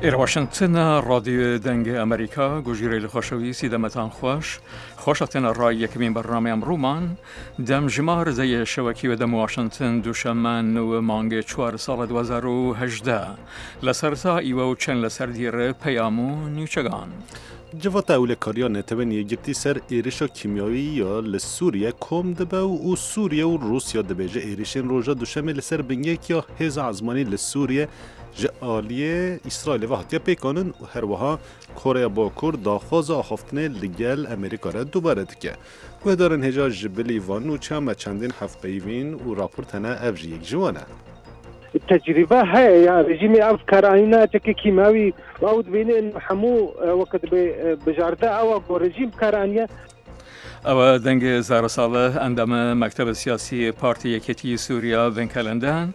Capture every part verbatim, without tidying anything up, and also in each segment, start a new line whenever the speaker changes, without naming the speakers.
ئێرە واشنگتنە، ڕادیۆ دەنگ ئەمریکا، گوژیرەیل خوەشەویسی دەمەتان خوەش، خوەش هاتنە ڕای یەکمین بەرنامەی ئەمڕوومان، دەم ژمار دەیە شەوەکی وە دەم واشنگتن دوشەممە نوو مانگ چوار ساڵ دۊ هەزار و هەژدە. لە سەرەتا ئیوە و چەن لە سەر دیڕ پەیام و نیوچەگان.
Civata Ewlekariya Netewên Yekgirtî ser êrişa kîmyawî ya li Sûriye kom dibe û Sûriye û Rûsya dibêje êrişên roja Duşemê li ser bingehek ya hêza ezmanî li Sûriye ji aliyê Îsraîlê ve hatiye pêkanin û her wiha Koreya Bakur daxwaza axaftinê li gel Amerîka re dubare dike. Guhdarên hêja ji bilî van nûçeya me çendîn hevpeyvîn û raport hene ev jî yek ji wan e.
تجربة هەیە یا رژیمی ئەف کارئانینا چەکە کیماوی و ئەو دبینێ هەموو وەکە دبێ بژاردە ئەوە بۆ رژیم کارانیە.
ئەوە دەنگ زارە ساڵح ئەندامە مەکتەبە سیاسی پارتی یەکێتی سووریا بنکەلەندان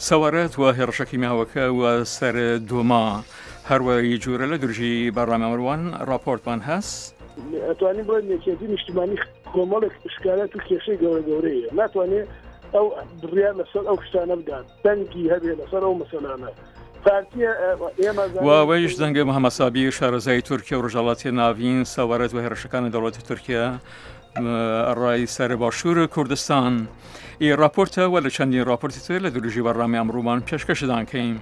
سەوارەت وە هێڕشە کیمیاوەکە وە سەر دوما هەروەی جورە لە درژی بەرنامەوان راپۆرتمان هەس.
ئەتوانین بڵێن یەکێتی نیشتمانی کۆمەڵێک ئشکالات و کێشەی گەورە گەورەیە، ناتوانێت ئەو بڕیار لەسەر ئەو شتانە بدات، دەنگی هەبێ لەسەر ئەو مەسەلانە.
واوەیش دەنگە محەممەد سابیر شارەزای تورکیا و ڕۆژهەڵاتی ناوین سەوارەت وە هێرشەکانی دەوڵەتی تورکیا ڕای سەر باشوور کوردستان. ئی راپۆرتە وە لە چەندین راپۆرتی تر لە درژی بەرنامەی ئەمڕوومان پێشکەشدان کەین.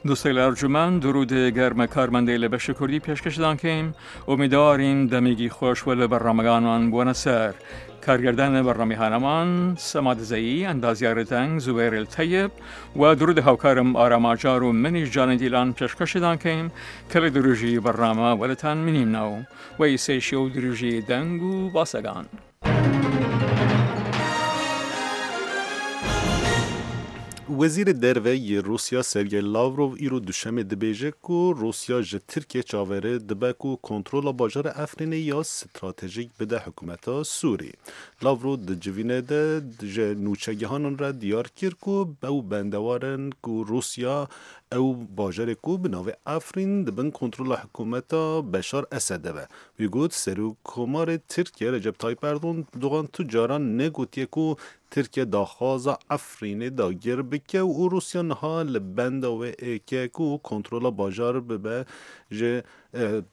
دوستەیل ئەرجومەند درود گەرمە کارمەندەی لە بەش کوردی پێشکەشدان کەین. ئومیدوارین دەمێکی خۆش وە لە بەرنامەگانمان بووەنە سەر. کارگردان بەرنامەی هانەمان سەما دزەیی، ئەندازیار دەنگ زوبێر التەیب و درود هاوکارم ئاراماجار و منیش جانە دیلان پێشکەشدان کەین کە لە درژی بەرنامە وەلتان منیمنەوە و ئیسەیشی و درژی دەنگ و باسەگان.
وەزیرê Derve yê Rûsya Sergey Lavrov îro Duşemê dibêje ku Rûsya ji Tirkiye çaverê dibe ku kontrola bajarê Efrînê ya stratejîk bide hikûmeta Sûrî. Lavrov di civînê de ji nûçegihanan re diyar kir ku ew bendewarin ku Rûsya ew bajarê ku bi navê Efrîn dibin kontrola hikûmeta Beşar Esed de be. Wî got Serokkomarê Tirkiye Recep Tayyip Erdogan tu caran negotiye ku Tirkiye daxwaza Efrînê dagir bike û Rûsya niha li benda wê êke ku kontrola bajar bibe ji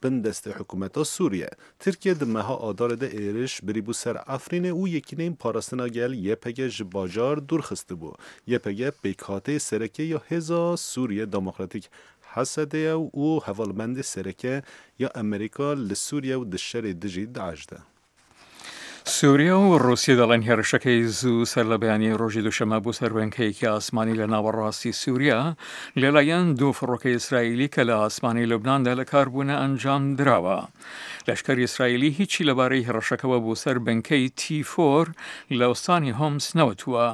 bin destê hikûmeta Sûriye. Tirkiye di meha Adarê de êriş birîbû ser Efrînê û yekîneyên parastina gel Y P G ji bajar dûr xistibû. Y P G pêkhateyê sereke ya hêza Sûriye Demokratîk Hesedê ye û hevalbendê sereke ya Amerîka li Sûriye û di şerê dijî DAIŞ de.
سووریا و ڕووسیا دەڵێن هێرشەکەی زوو سەر لە بەیانی ڕۆژی دووشەممە بۆ سەر بنکەیەکی ئاسمانی لە ناوەڕاستی سووریا لەلایەن دوو فڕۆکەی ئیسرائیلی کە لە ئاسمانی لوبناندا لە کار بوونە ئەنجام دراوە. لەشکری ئیسرائیلی هیچی لەبارەی هێرشەکەوە بۆ سەر بنکەی تی فۆر لە ئوستانی هۆمس نەوتووە.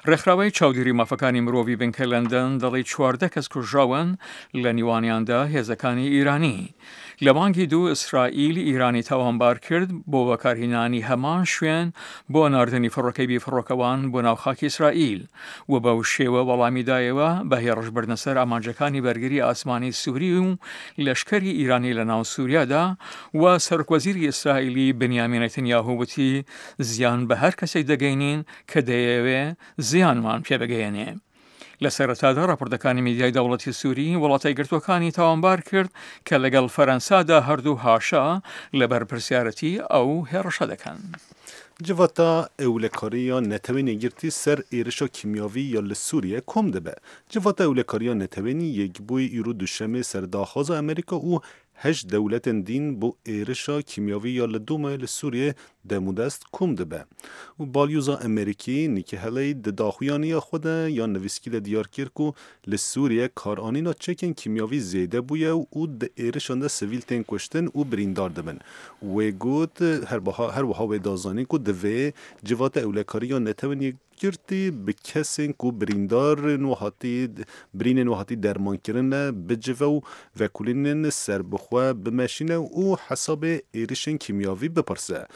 ڕێکخراوەی چاودێری مافەکانی مرۆڤی بنکە لەندەن دەڵێ چواردە کەس کوژراون لە نیوانیاندا هێزەکانی ئیرانی. لە مانگی دوو ئیسرائیل ئیرانی تاوانبار کرد بۆ بەکارهێنانی هەمان شوێن بۆ ناردنی فڕۆکەی بێفڕۆکەوان بۆ ناو خاکی ئیسرائیل و بەو شێوە وەڵامی دایەوە بە هێڕشبردنە سەر ئامانجەکانی بەرگری ئاسمانی سووری و لەشکری ئیرانی لە ناو سووریادا و سەرۆکوەزیری ئیسرائیلی بنیامین نەتەنیاهۆ وتی زیان بە هەر کەسێک دەگەینین کە دەیەوێ زیانمان پێ بگەیەنێ. لە سەرەتادا راپۆرتەکانی میدیای دەوڵەتی سووری وڵاتە یەکگرتووەکانی تاوانبار کرد کە لەگەڵ فەرەنسادا هەردوو هاشا لە بەرپرسیارەتی ئەو هێڕشە دەکەن.
Civata Ewlekariya Netewên Yekgirtî ser êrişa kîmyawî ya li Sûriye kom dibe. Civata Ewlekariya Netewên Yekbûyî îro Duşemê ser daxwaza Amerîka û heşt dewletên dîn bo êrişa kîmyawî ya li Domayê li Sûriye demûdest kom dibe. û balyoza Amerîkî Nikki Haley di daxuyaniya xwe de ya nivîskî de diyar kir ku li Sûriye karanîna çekên kîmyawî zêde bûye û di êrişan de sivîl tên kuştin û birîndar dibin. Wê got her wiha wê da zanîn ku divê Civata Ewlekariya Netewên Yekgirtî bi kesên ku birîndarên û hatî birînên û hatî dermankirine bicive û vekolînên serbixwe bimeşîne û hesabê êrişên kîmyawî bipirse.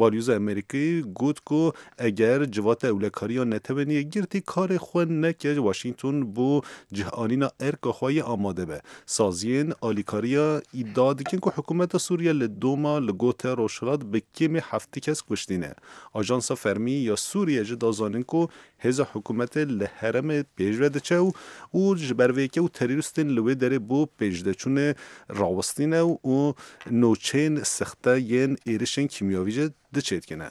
Balyoza Amerîkî got ku eger civata ewlekariya Netewên Yekgirtî karê xwe neke Washington bo cihanîna erka xwe yê amade be. Saziyên alîkariya îdia dikin ku hikûmeta Sûriye li Doma li Gote Rojhilat bi kêmî heftê kes kuştîne. Ajansa fermî ya Sûriye jî da zanîn ku hêza hikûmetê li herêmê pêşve diçe û û ji ber vê yekê û terorîstên li wê derê bo pêşdeçûnê rawestîne û nûçeyên sexte yên êrişên kîmyawî jî diçêdikine.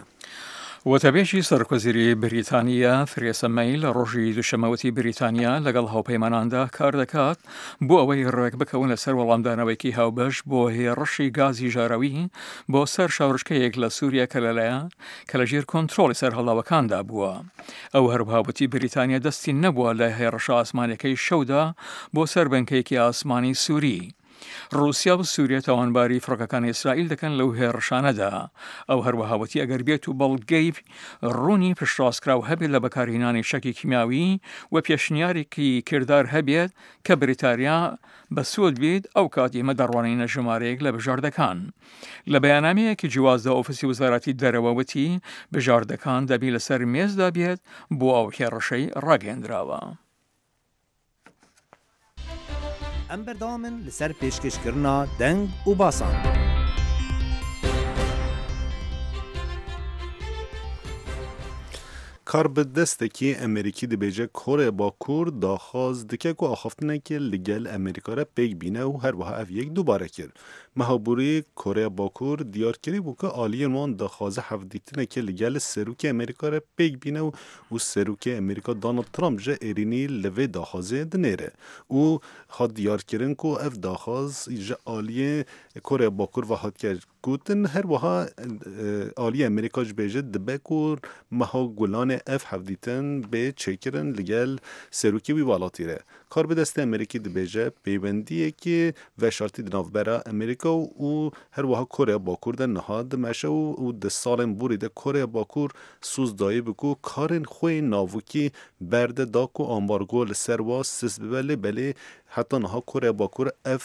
وتەبێژی سەرۆکوەزیری بریتانیا ترێسا مەی لە ڕۆژی دووشەممە وتی بریتانیا لەگەڵ هاوپەیماناندا کار دەکات بۆ ئەوەی ڕێک بکەون لەسەر وەڵامدانەوەیەکی هاوبەش بۆ هێڕشی گازی ژاراوی بۆ سەر شارۆچکەیەک لە سووریا کە لەلایەن کە لەژێر کۆنترۆڵی سەرهەڵداوەکاندا بووە. ئەو هەروەها وتی بریتانیا دەستی نەبووە لە هێڕشە ئاسمانیەکەی شەودا بۆ سەر بنکەیەکی ئاسمانی سووری. ڕووسیا و سووریا تاوانباری فڕۆکەکانی ئیسرائیل دەکەن لەو هێڕشانەدا. ئەو هەروەها وتی ئەگەر بێت و بەڵگەی ڕوونی پشتڕاستکراو هەبێت لە بەکارهێنانی چەکی کیمیاوی و پێشنیارێکی کردار هەبێت کە بریتانیا بەسوود بێت، ئەو کات ئێمە دەڕوانینە ژمارەیەک لە بژاردەکان. لە بەیاننامەیەکی جیوازدا ئۆفیسی وەزارەتی دەرەوە وتی بژاردەکان دەبی لەسەر مێزدا بێت بۆ ئەو هێڕشەی ڕاگەیەندراوە.
Em berdewam in li ser pêşkêşkirina deng û basan.
Karbidestekî Amerîkî dibêje Koreya Bakur daxwaz dike ku axaftinekê li gel Amerîka re pêk bîne û her wiha ev yek dubare kir. Meha borî Koreya Bakur diyar kiribû ku aliyên wan daxwaza hevdîtinekê li gel Serokê Amerîka re pêk bîne û û Serokê Amerîka Donald Trump ji êrînî li vê daxwazê dinêre û hat diyarkirin ku ev daxwaz ji aliyê Koreya Bakur ve hatiye gotin. Her wiha aliyê Amerîka ji bêje dibe ku meha Gulanê ev hevdîtin bê çêkirin li gel serokê wî welatî re. Karbidestê Amerîkî dibêje pêwendiyekê veşartî di navbera Amerîka û her wiha Koreya Bakur de niha dimeşe û û di salên borî de Koreya Bakur soz dayî bi ku karên xwe yên navokî berde da ku ambargo li ser wa sist bibe lê belê heta niha Koreya Bakur ev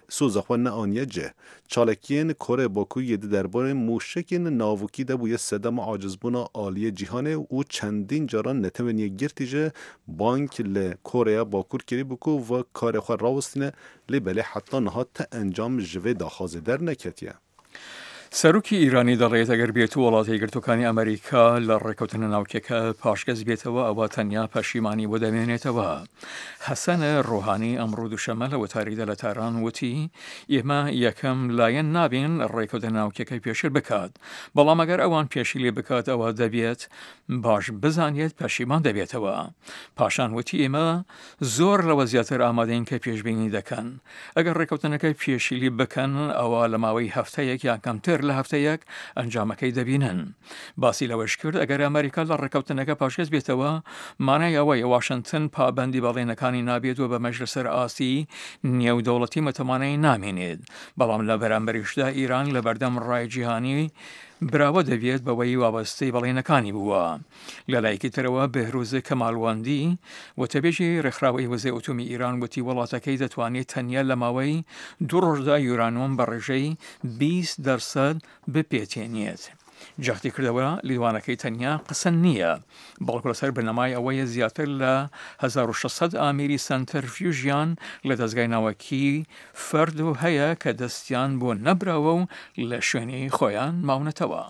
soza xwe neaniye cih. Çalakiyên Koreya Bakur yê di derbarê mûşekên navokî de bûye sedema acizbûna aliyê cîhanê û çendîn caran Netewên Yekgirtî ji bank li Koreya Bakur kiribû ku ve karê xwe rawestîne lê belê heta niha te encam ji vê daxwazê derneketiye.
سەرۆکی ئیرانی دەڵێت ئەگەر بێت و وڵاتە یەکگرتووەکانی ئەمریکا لە ڕێککەوتنە ناوکیەکە پاشگەز بێتەوە ئەوە تەنیا پەشیمانی بۆ دەمێنێتەوە. حەسەن ڕۆهانی ئەمڕۆ دووشەممە لە وتاریدا لە تاران وتی ئێمە یەکەم لایەن نابین ڕێککەوتنە ناوکیەکەی پێشل بکات، بەڵام ئەگەر ئەوان پێشیلی بکات ئەوە دەبێت باش بزانێت پەشیمان دەبێتەوە. پاشان وتی ئێمە زۆر لەوە زیاتر ئامادەین کە پێشبینی دەکەن. ئەگەر ڕێککەوتنەکە پێشیلی بکەن ئەوە لە ماوەی هەفتەیەک یان کەمتر لە هەفتەیەک ئەنجامەکەی دەبینن. باسی لەوەش کرد ئەگەر ئەمریکا لە ڕێککەوتنەکە پاشگەز بێتەوە مانای ئەوەیە واشنگتن پابەندی بەڵێنەکانی نابێت و بەمەش لەسەر ئاستی نێودەوڵەتی متمانەی نامێنێت، بەڵام لە بەرامبەریشدا ئیران لە بەردەم ڕای جیهانی براوە دەبێت بەوەی وابەستەی بەڵێنەکانی بووە. لە لایەکی ترەوە بێهروز کەمالوەندی وتەبێژی ڕێکخراوەی وزەی ئۆتۆمی ئیران وتی وڵاتەکەی دەتوانێت تەنیا لە ماوەی دوو ڕۆژدا یورانیۆم بە ڕێژەی بیست دەرسەد بپێتێنێت. جەختی کردەوە لیدوانەکەی تەنیا قسە نییە، بەڵکو لەسەر بنەمای ئەوەیە زیاتر لە هەزار و شەش سەد ئامێری سەنتەرفیوژیان لە دەزگای ناوەکی فەرد و هەیە کە دەستیان بۆ نەبراوە و لە شوێنی خۆیان ماونەتەوە.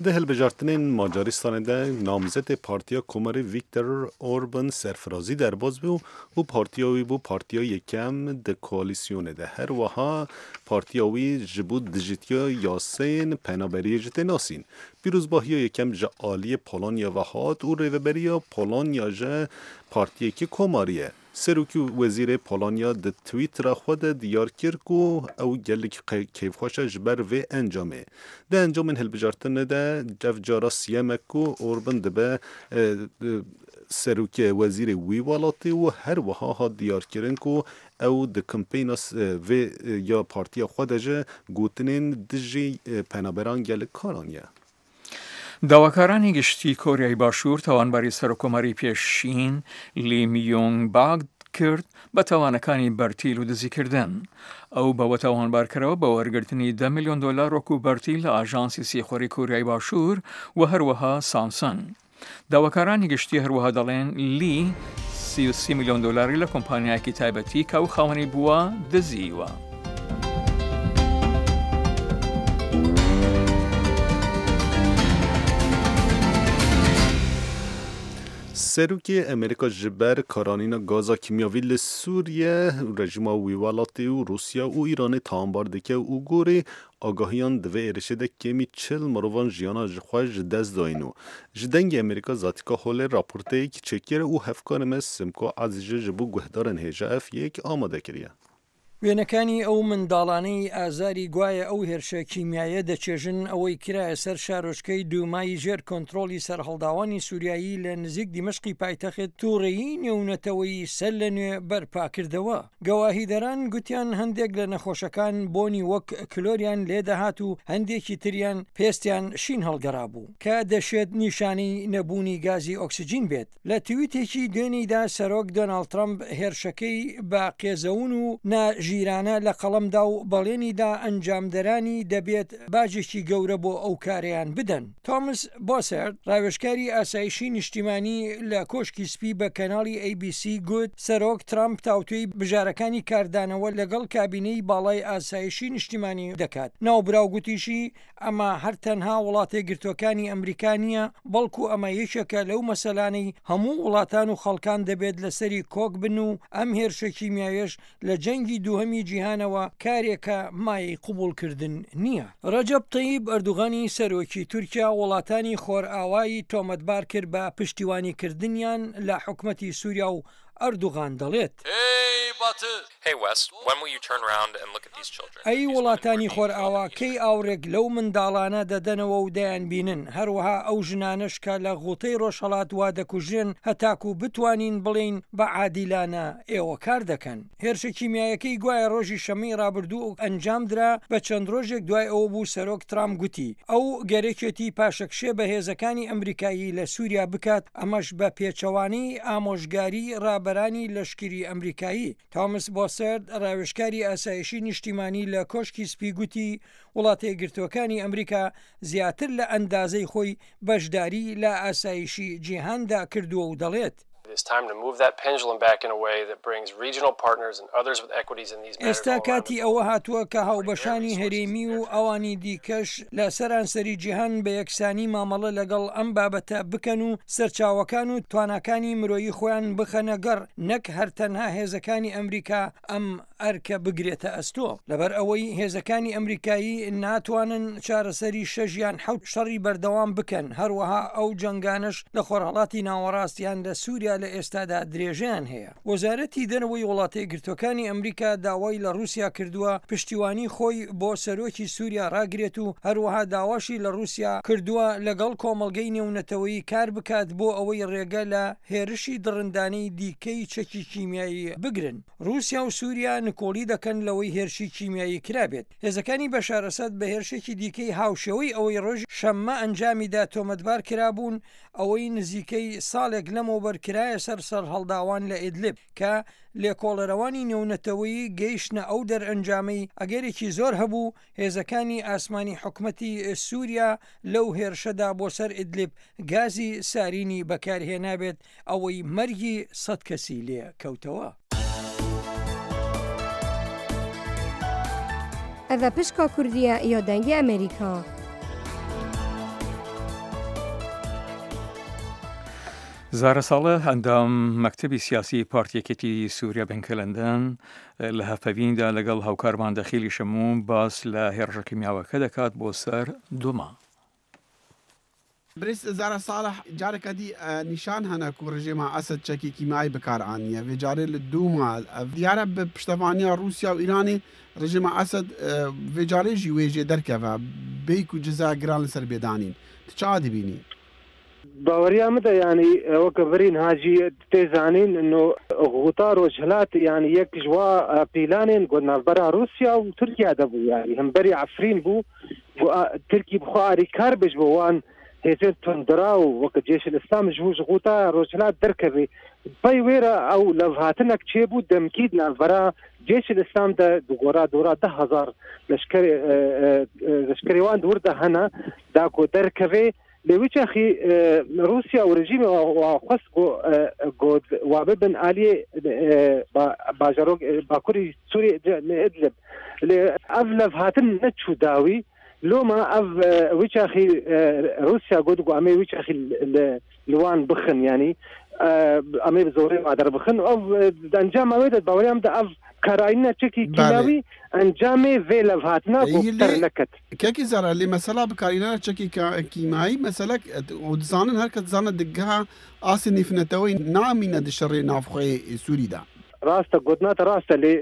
Di hilbijartinên Macaristanê de namzetê Partiya Komarê Viktor Orban serfirazî derbas bû û partiya wî bû partiya yekem di koalîsyonê de. Her wiha partiya wî ji bo dijîtiya yasayên penaberiyê jî tê nasîn. Pîrozbahiya yekem ji aliyê Polonya ve hat û rêveberiya Polonya ji partiyekî Komarî ye. Serokê Wezîrê Polonya di Twittera xwe de diyar kir ku ew gelek keyfxweş e ji ber vê encamê. Di encamên hilbijartinê de ev cara siyem e ku Orban dibe serokê wezîrê wî welatî û her wiha hat diyarkirin ku ew di kampeyna vê ya partiya xwe de ji gotinên dijî penaberan gelek kar aniye.
داواکارانی گشتی کۆریای باشوور تاوانباری سەرۆکۆماری پێشین لی میۆنگ باک کرد بە تاوانەکانی بەرتیل و دزیکردن. ئەو بەوە تاوانبارکراوە بە وەرگرتنی دە ملیۆن دۆلار وەکو بەرتیل لە ئاژانسی سیخوڕی کۆریای باشوور و هەروەها سامسۆنگ. داواکارانی گشتی هەروەها دەڵێن لی سی و سی ملیۆن دۆلاری لە کۆمپانیایەکی تایبەتی کە ئەو خاوەنی بووە دزیوە.
سەرۆکی ئەمریکا ji ber karanîna gaza kîmyavî li Sûriye rejîma wî welatê û Rûsya û Îranê tawanbar dike û gorî agahiyan di vê êrişê de kêmî çil mirovan jiyana ji xwe ji dest dayîn û ji dengê Amerîka Zatîka Holê raporteyek çêkir û hevkarê me Simko Ezîzî ji bo guhdarên hêja ev yek amade kiriye.
وێنەکانی ئەو منداڵانەی ئازاری گوایە ئەو هێرشە کیمیایە دەچێژن ئەوەی کرایە سەر شارۆچکەی دوومای ژێر کۆنترۆڵی سەرهەڵداوانی سووریایی لە نزیک دیمەشقی پایتەخت تووڕەیی نێونەتەوەی سەر لە نوێ بەرپاکردەوە. گەواهیدەران گوتیان هەندێک لە نەخۆشەکان بۆنی وەک کلۆریان لێدەهات و هەندێکی تریان پێستیان شین هەڵگەرابوو کە دەشێت نیشانەی نەبوونی گازی ئۆکسجین بێت. لە تویتێکی دوێنیدا سەرۆک دۆناڵد ترەمپ هێرشەکەی بە قێزەون و نا ژیرانە لە قەڵەمدا و بەڵێنیدا ئەنجامدەرانی دەبێت باجێکی گەورە بۆ ئەو کاریان بدەن. تۆمس بۆسەرد ڕاوێژکاری ئاسایشی نیشتیمانی لە کۆشکی سپی بە کەناڵی ئەی بی سی گوت سەرۆک ترامپ تاوتوێی بژارەکانی کاردانەوە لەگەڵ کابینەی باڵای ئاسایشی نیشتیمانی دەکات. ناوبراو گوتیشی ئەمە هەر تەنها وڵاتێ گرتوەکانی ئەمریکا نییە، بەڵکو ئەمە یەکێکە لەو مەسەلانەی هەموو وڵاتان و خەڵکان دەبێت لەسەری کۆک بن و ئەم هێرشە کیمیاویش لە جەنگی دووهەمی جیهانەوە کارێکە مایەی قبوڵکردن نییە. ڕەجەب تەیب ئەردوغانی سەرۆکی تورکیا وڵاتانی خۆرئاوایی تۆمەتبار کرد بە پشتیوانیکردنیان لە حکومەتی سووریا و ئەردوغان دەڵێت ئەی وڵاتانی خۆرئاوا کەی ئاورێک لەو منداڵانە دەدەنەوە و دەیانبینن، هەروەها ئەو ژنانەش کە لە غوتەی ڕۆژهەڵات وا دەکوژرێن هەتاکو بتوانین بڵێین بە عادیلانە ئێوە کار دەکەن. هێرشە کیمیایەکەی گوایە ڕۆژی شەمەی ڕابردوو ئەنجامدرا بە چەند ڕۆژێک دوای ئەوە بوو سەرۆک ترامپ گوتی ئەو گەرەکێتی پاشەکشێ بە هێزەکانی ئەمریکایی لە سووریا بکات، ئەمەش بە پێچەوانەی ئامۆژگاری ڕابەرانی لەشکری ئەمریکایی. تۆمس بۆسەرد ڕاوێژکاری ئاسایشی نیشتیمانی لە کۆشکی سپی گوتی وڵاتە یەکگرتووەکانی ئەمریکا زیاتر لە ئەندازەی خۆی بەشداری لە ئاسایشی جیهاندا کردووە و دەڵێت ئێستا کاتی ئەوە هاتووە کە هاوبەشانی هەرێمی و ئەوانی دیکەش لە سەرانسەری جیهان بە یەکسانی مامەڵە لەگەڵ ئەم بابەتە بکەن و سەرچاوەکان و تواناکانی مرۆیی خۆیان بخەنە گەڕ، نەک هەر تەنها هێزەکانی ئەمریکا ئەم ئەرکە بگرێتە ئەستۆ. لەبەر ئەوەی هێزەکانی ئەمریکایی ناتوانن چارەسەری شەش یان حەوت شەڕی بەردەوام بکەن، هەروەها ئەو جەنگانەش لە خۆرهەڵاتی ناوەڕاست یان لە سووریا لە ئێستادا درێژەیان هەیە. وەزارەتی دەرەوەی وڵاتە یەکگرتووەکانی ئەمریکا داوای لە ڕووسیا کردووە پشتیوانی خۆی بۆ سەرۆکی سووریا ڕاگرێت و هەروەها داواشی لە ڕووسیا کردووە لەگەڵ کۆمەڵگەی نێونەتەوەیی کار بکات بۆ ئەوەی ڕێگە لە هێرشی دڕندانەی دیکەی چەکی کیمیایی بگرن. ڕووسیا و سووریا نکۆڵی دەکەن لەوەی هێرشی کیمیایی کرابێت. هێزەکانی بەشار ئەسەد بە هێرشێکی دیکەی هاوشێوەی ئەوەی ڕۆژ شەممە ئەنجامیدا تۆمەتبار کرابوون، ئەوەی نزیکەی ساڵێک لەمەوبەر کرایە سەر سەرهەڵداوان لە ئیدلب کە لێکۆڵەرەوانی نێونەتەوەیی گەیشتنە ئەو دەرئەنجامەی ئەگەرێکی زۆر هەبوو هێزەکانی ئاسمانی حکومەتی سووریا لەو هێرشەدا بۆ سەر ئیدلب گازی سارینی بەکارهێنابێت، ئەوەی مەرگی سەد کەسی لێ کەوتەوە.
ئەڤ پشکا کوردیە یا دەنگی ئەمریکا.
زارە ساڵح ئەندام مەکتەبی سیاسی پارتی یەکێتی سووریا بنکە لەندەن لە هەفەویندا لەگەڵ هاوکارمان دەخیلی شەموون باس لە هێرشە کیمیاوەکە دەکات بۆ سەر دوما.
برێز زارە ساڵح جارێکە دی نیشان هەنە و ڕژێما ئەسەد چەکی کیمیایی بەکارئانیە وێ جارێ لە دوما دیارە بە پشتەوانیا ڕووسیا و ئیرانی ڕژێما ئەسەد وێ جارێ ژی وێژێ دەرکەوە بێک و جزا گران لەسەر بێدانین تو چا دەبینی؟
باوەریان مدە یعنی وەکە برین هاجی تێزانین انه غوتا ڕۆژهەلات یعنی یەک ژوا پیلانên got navbera Rûsya û Tirkiya de bû yani hemberî Efrîn bû Tirkî bixwe arîkar bêj bo wan هێزên tundira û weke Cêş İslam ji bo ji Ğuta Rojhilat derkeve پەی وێرە ئەو لەڤهاتنێک چێبوو دەمکید ناڤەرا جێش الإسلام ده دورا دورا ده هزار لشکر لشکریوان دور ده هەنە داکو دەرکەوێ لێ چاخی روسیا و رژیم خواست گو واببن عالیه باجارۆک باکوری سوری ئەدلب لێ ئەv لەڤهاتن نەچوو داوی لۆما ئەv ویچاخی روسیا گوت گو ئەمێ ویچاخی لوان بخن یعنی ئەمێ بزۆرێ وادەر بخن ئەو ئەنجام ئەوێ دەت باوەریام دە ئەv کاراینا چەکی کیماوی ئەنجامێ vê لەڤهاتنا بۆ سەر نەکەت.
کاکی زارا لێ مەسەلا بکارینە چەکی کیمایی مەسەلەک و دزانن هەر کە دزانە دگها ئاسی نیفنەتەوەی نامینە دشەڕێ ناوخۆی سووریدا.
ڕاستە گوتناتە ڕاستە لێ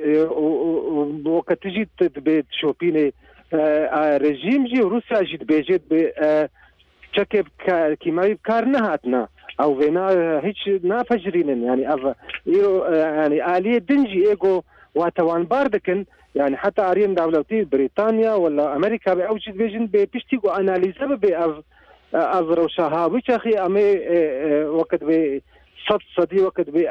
وەکە تژی دەبێت شۆپینێ رژیم ژی و رووسیا ژی دەبێژێت بێ چەکێ کیماوی بکار نەهاتنا ئەو وێنا هیچ ناپەژرینن یعنی ئەv ئیرۆ یعنی ئالیە دنجی ئێگۆ واتەوانبار دەکەن یعنی حتی ئاریەن داولەتی بریتانیا ولا ئەمریکا بێ ئەو چی دەبێژن بێ پشتی گۆ ئەنالیزە ببێ ئەv ئەv ڕەوشە هاوی چاخی ئەمێ وەکت بێ سەد سەدی وەکت بێ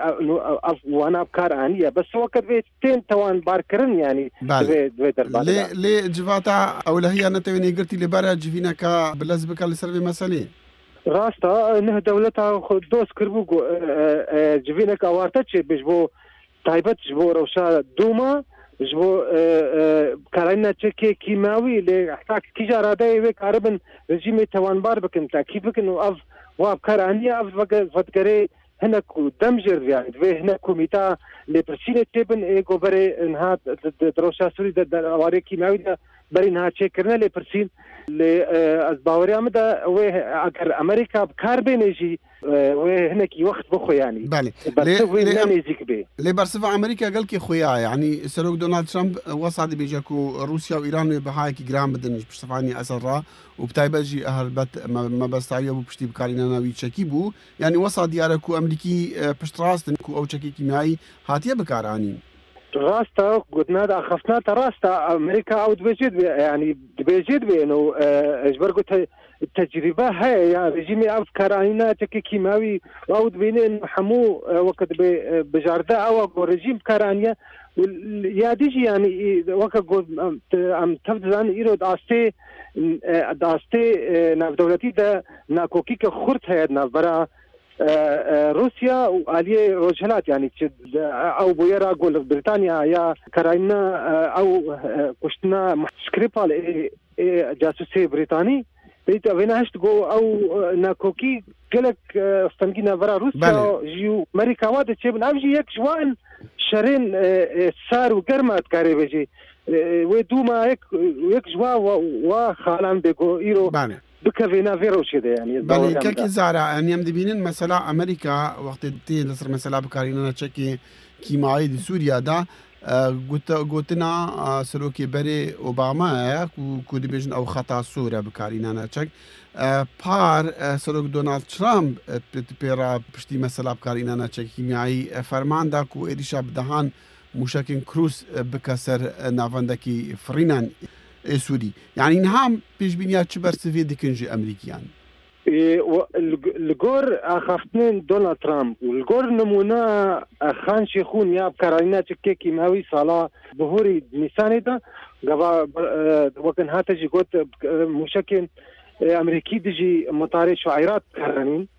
ئەv وانا بکار ئانیە بەس وەکت بێ تێن تەوانبارکردن یعنی دوێ دەربار
لێ لێ جڤاتا ئەولەهیە نەتەوێنێ گرتی لەبارە جڤینەکە بلەز بکە لەسەر vê مەسەلێ.
ڕاستە نه دەولەتا دۆست کردبوو جڤینێک ئاوارتە چێ بێژ بۆ تایبەت ji بۆ ڕەوشا دوومە ji بۆ کاراینا چەکێ کیماوی لێ حتا کیژا ڕادەیە وێ کاربن رژیمێ تەوانبار بکەن تاکید بکەن و ئەv وا بکار ئانیە ئەv ڤەدگەرێ هەنێک دەم ژێر یعنی دوێ هەنێک کۆمیتا لێپرسینێ تێبن ئێگۆ بەرێ نها ڕەوشا سووری ئەوارێ کیماوی دە بەری نها چێکردنە لێپرسین لێ ئەز باوەریان مدە وێ ئەگەر ئەمریکا بکار بێنێژی وێ هەنێکی وەخت بخۆ یعنی بەرسڤ وێ نێزیک بێ.
لێ بەرسڤ ئەمریکا گەلکی خۆیە یعنی سەرۆک دۆناڵد ترەمپ وەسا دەبێژە کو رووسیا و ئیران وێ بەهایەکی گران بدن پشتەفانی ئەسەد ڕا و بتایبەت ژی هەربەت مەبەستاویە بوو پشتی بکاریناناوی چەکی بوو یعنی وەسا دیارە کو ئەمریکی پشتڕاستن کو ئەو چەکی کیمیایی هاتیە بکارانین.
ڕاستە گوتنات ئاخەفتناتە ڕاستە ئەمریکا ئەو دەبێژێت بێ یعنی دەبێژێت بێن و ji ber got تەجریبە هەیە یان رژیمی ئەو کارانینا چەکی کیماوی ئەو دەبینێن هەموو وەکە دەبێ بژاردە ئەوە گۆ رژیم بکارانیە یادیژی یعنی وەکە ئەم تەف دەزانن ئیرۆ ئاستێ ئاستێ ناودەولەتی دە ناکۆکیکە خورت هەیە ناوبەرە روسیا و عالیه ڕۆژهەلات یعنی ئەو بۆیەرا گۆ لە بریتانیا یا کاراینا ئەو کوشتنا سکریپال جاسوسی بریتانی بیت ئەوێنە هەشت گۆ ئەو ناکۆکی gelek ستەنگی ناڤرا روسیا ژی و ئەمریکا وا دەچێ بن ئەو ژی یەک ژوان شەرێن سار و گەرمە دکارێ بێژێ وێ دووما یەک یەک ژوا وا خاڵان بێگۆ ئیرۆ بکەوێ ناوێ ڕەوشێ دە یعنی
بەڵێ کاکی زارا یعنی ئەم دەبینن مەسەلا ئەمریکا وەختی تێ لەسەر مەسەلا بکارینەنە چەکی کیمایی دی سووریادا گوتنا سەرۆکی بەرێ ئۆبامایە کو دەبێژن ئەو خەتا سوورە بکارینانە چەک پار سەرۆک دۆناڵد ترامپ پێڕا پشتی مەسەلا بکارینانە چەکی کیمیایی فەرماندا کو ئێریشا بدەهان موشەکین کروس بکە سەر ناوەندەکی فڕینان سووری یعنی نها پێشبینیا چ بەرسڤێ دکن ژی ئەمریکیان؟
li gor axaftinên Donald Trump û li gor nimûna Xan Şêxûn ya bikaranîna çekê kîmawî sala bihorî Nîsanê de gava wekin hate jî got mûşekên Amerîkî dijî mitarê şuayrat bikaranîn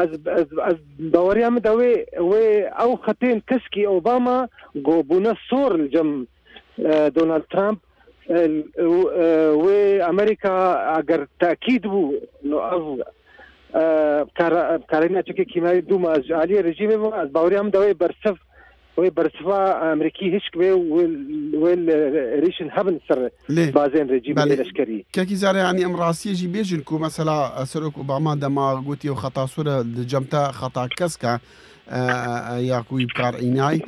ez ez ez baweriya min de wê wê ew xetên keskî Obama go bûne sor li cem Donald Trump wê Amerîka eger tekîd bû ev بکارینە چەکێ کیماوی دووما ji aliyê rejîmê ve ez baweriya min de wê bersiv wê bersiva Amerîkî hişk bê wê êrişên hebin ser bazên rejîmê leşkerî.
کاکی زارە یعنی ئەم ڕاستیە ژی بێژن کو مەسەلا سەرۆک ئۆباما دەما گوتی ئەو خەتا سوورە لە جەمتە خەتا کەسکە یاکوی بکارئینای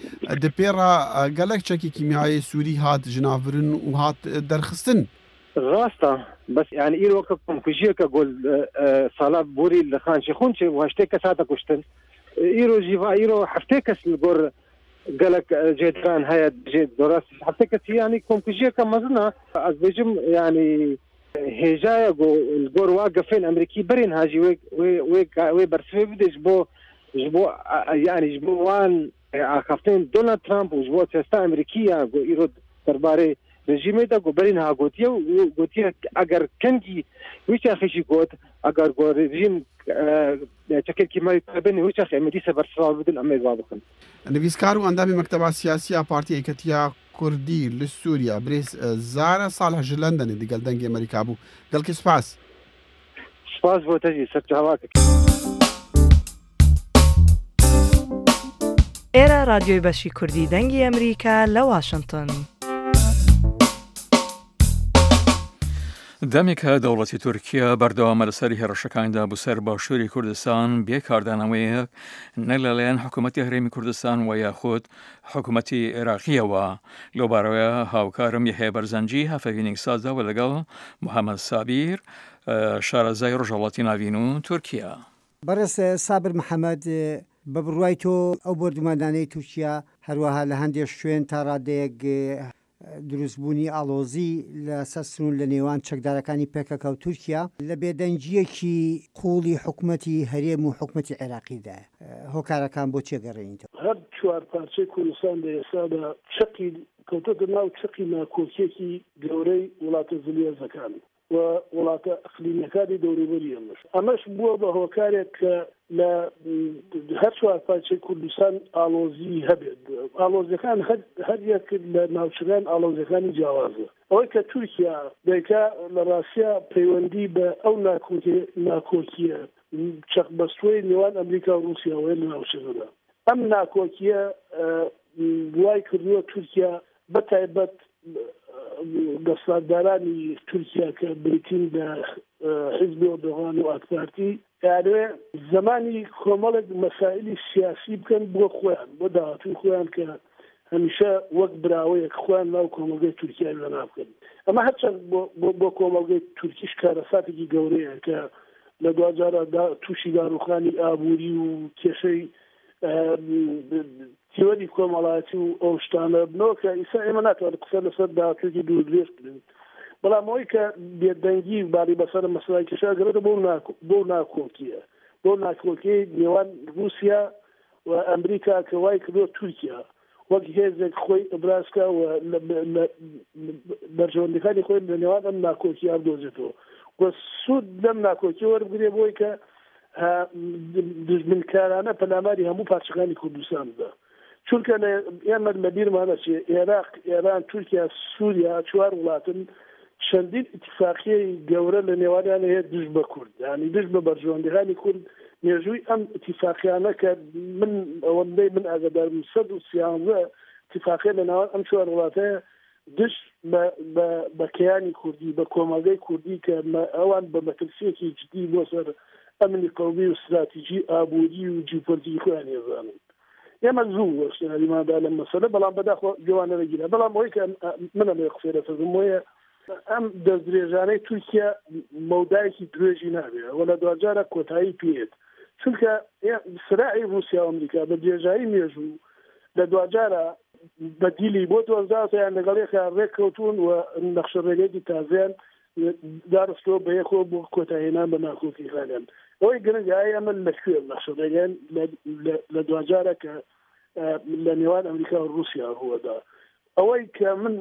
دەپێڕا gelek چەکی کیمیایی سووری هات ژناڤرن و هات دەرخستن.
ڕاستە بەس یعنی ئیرۆ کە کۆمکوژیەکە گۆل ساڵا بوری لە خان شێخون چێ و هەشتێ کەس هاتە کوشتن ئیرۆ ژیڤا ئیرۆ هەفتێ کەس li gor gelek جێدران هەیە جێ دۆڕاست هەفتێ کەسی یعنی کۆمکوژیەکە مەزنە ئەز بێژم یعنی هێژایە گۆ li gor وا گەفێن ئەمریکی بەرێن هاژی وێ وێ وێ بەرسڤێ بدێ ji بۆ ji bo yanî ji bo wan axaftinên Donald Trump û ji bo siyaseta Amerîkî ya ku îro derbarê rejîmê de ku berî niha gotiye û gotiye eger kengî wî çaxê jî got eger ku rejîm çekên kîmyayî bin wî çaxê em ê dîsa bersiva bidin em ê va bikin.
Nivîskar û endamê Mekteba Siyasî ya Partiya Yeketiya Kurdî li Sûriya birêz Zara Salih ji Londonê digel Dengê Amerîka bû. Gelkî spas.
Spas bo te jî ser çavak.
ئێرە رادیۆی بەشی کوردی دەنگی ئەمریکا لە واشنگتن.
دەمێکە دەوڵەتی تورکیا بەردەوامە لەسەر هێڕشەکاندا بۆ سەر باشووری کوردستان بێ کاردانەوەیەک نە لەلایەن حکوومەتی هەرێمی کوردستان و یاخود حکوومەتی عێراقیەوە. لەو بارەوە هاوکارم یەحیا بەرزەنجی هەفەوینێک سازداوە لەگەڵ محەممەد سابیر شارەزای ڕۆژهەڵاتی ناوین و تورکیا.
بەڕێز سابر محەممەد، بە بڕوای تۆ ئەو بۆردوماندانەی تورکیا هەروەها لە هەندێک شوێن تا ڕادەیەک دروستبوونی ئاڵۆزی لەسەر سنوور لە نێوان چەکدارەکانی پێکەکە و تورکیا لە بێدەنگیەکی قوڵی حکوومەتی هەرێم و حکوومەتی عێراقیدایە، هۆکارەکان بۆ چێ گەڕێنیتەوە؟
هەر چوار پارچەی کوردستان لە ئێستادا چەقی کەوتۆتە ناو چەقی ناکۆکیەکی گەورەی وڵاتە زلهێزەکان و وڵاتە ئەقلیمیەکانی دەوروبەری ئەمەش. ئەمەش بووە بە هۆکارێک کە لە هەر چوار پارچەی کوردستان ئاڵۆزی هەبێت. ئاڵۆزیەکان هەر یەک لە ناوچەکان ئاڵۆزیەکانی جیاوازە. ئەوەی کە تورکیا دەیکا لە ڕاستیا پەیوەندی بە ئەو ناکۆکیە چەقبەستووەی نێوان ئەمریکا و ڕووسیاوە لە ناوچەکەدا. ئەم ناکۆکیە وای کردووە تورکیا بە تایبەت دەسەڵاتدارانی تورکیا کە بریتین لە حیزبی ئۆردوغان و ئاکپارتی یانێ زمانی کۆمەڵێک مەسائلی سیاسی بکەن بۆ خۆیان، بۆ داهاتووی خۆیان کە هەمیشە وەک براوەیەک خۆیان ناو کۆمەڵگەی تورکیا وێنا بکەن. ئەمە هەرچەند بۆ کۆمەڵگەی تورکیش کارەساتێکی گەورەیە کە لە دواجارە تووشی داڕوخانی ئابووری و کێشەی تیۆری کۆمەڵایەتی و ئەو شتانە بنەوە کە ئیسا ئێمە ناتوانین قسە لەسەر داهاتوویەکی دوور درێژ بکەین. بەڵام ئەوەی کە بێدەنگی باڵی بەسەر مەسەلای کێشە گەڕێتە بۆ ناکۆکیە، بۆ ناکۆکیەی نێوان رووسیا و ئەمریکا کە وای کردووە تورکیا وەک هێزێک خۆی ئەبرازکا و بەرژەوەندیەکانی خۆی لە نێوان ئەم ناکۆکیە بدۆزێتەوە و سوود لەم ناکۆکیە وەربگرێ بۆی کە دژمنکارانە پەلاماری هەموو پارچەکانی کوردستان بدا. چونکە ئێمە لە بیرمانە چێ عێراق، ئێران، تورکیا، سووریا چوار وڵاتن چەندین ئیتفاقیەی گەورە لە نێوانیان هەیە دژ بە کورد، یعنی دژ بە بەرژەوەندیەکانی کورد. مێژووی ئەم ئیتفاقیانە کە من ئەوەندەی من ئاگادارم سەد و سیانزە ئیتفاقیە لە ناوان ئەم چوار وڵاتەیە دژ بە کەیانی کوردی، بە کۆمەڵگەی کوردی کە ئەوان بە مەترسیەکی جدی بۆ سەر ئەمنی قەومی و استراتیژی ئابووری و جیوپۆلیتیکی خۆیان هێزانن. ئێمە زوو وەشتیاریماندا لەم مەسەلە، بەڵام بەداخەوە گوێوانە نەگیرا. بەڵام ئەوەی کە من ئەمەوێ قسەی لەسەر بکەم وەیە ئەم دەستدرێژانەی تورکیا مەودایەکی درێژی نابێت و لە دواجارە کۆتایی پێیت، چونکە سراعی رووسیا و ئەمریکا بە درێژایی مێژوو لە دواجارە بەدیلی بۆ دۆزداوتە یان لەگەڵ یەکا ڕێککەوتون و نەخشە ڕێگەیەکی تازیان داڕستەوە بە یەکەوە بۆ کۆتاهێنان بە ناکۆکیەکانیان. ئەوەی گرنگە ئایا ئەمە لەکوێ نەخشە ڕێگەیان لە دواجارە کە لە نێوان ئەمریکا و رووسیا ڕووەدا. ئەوەی کە من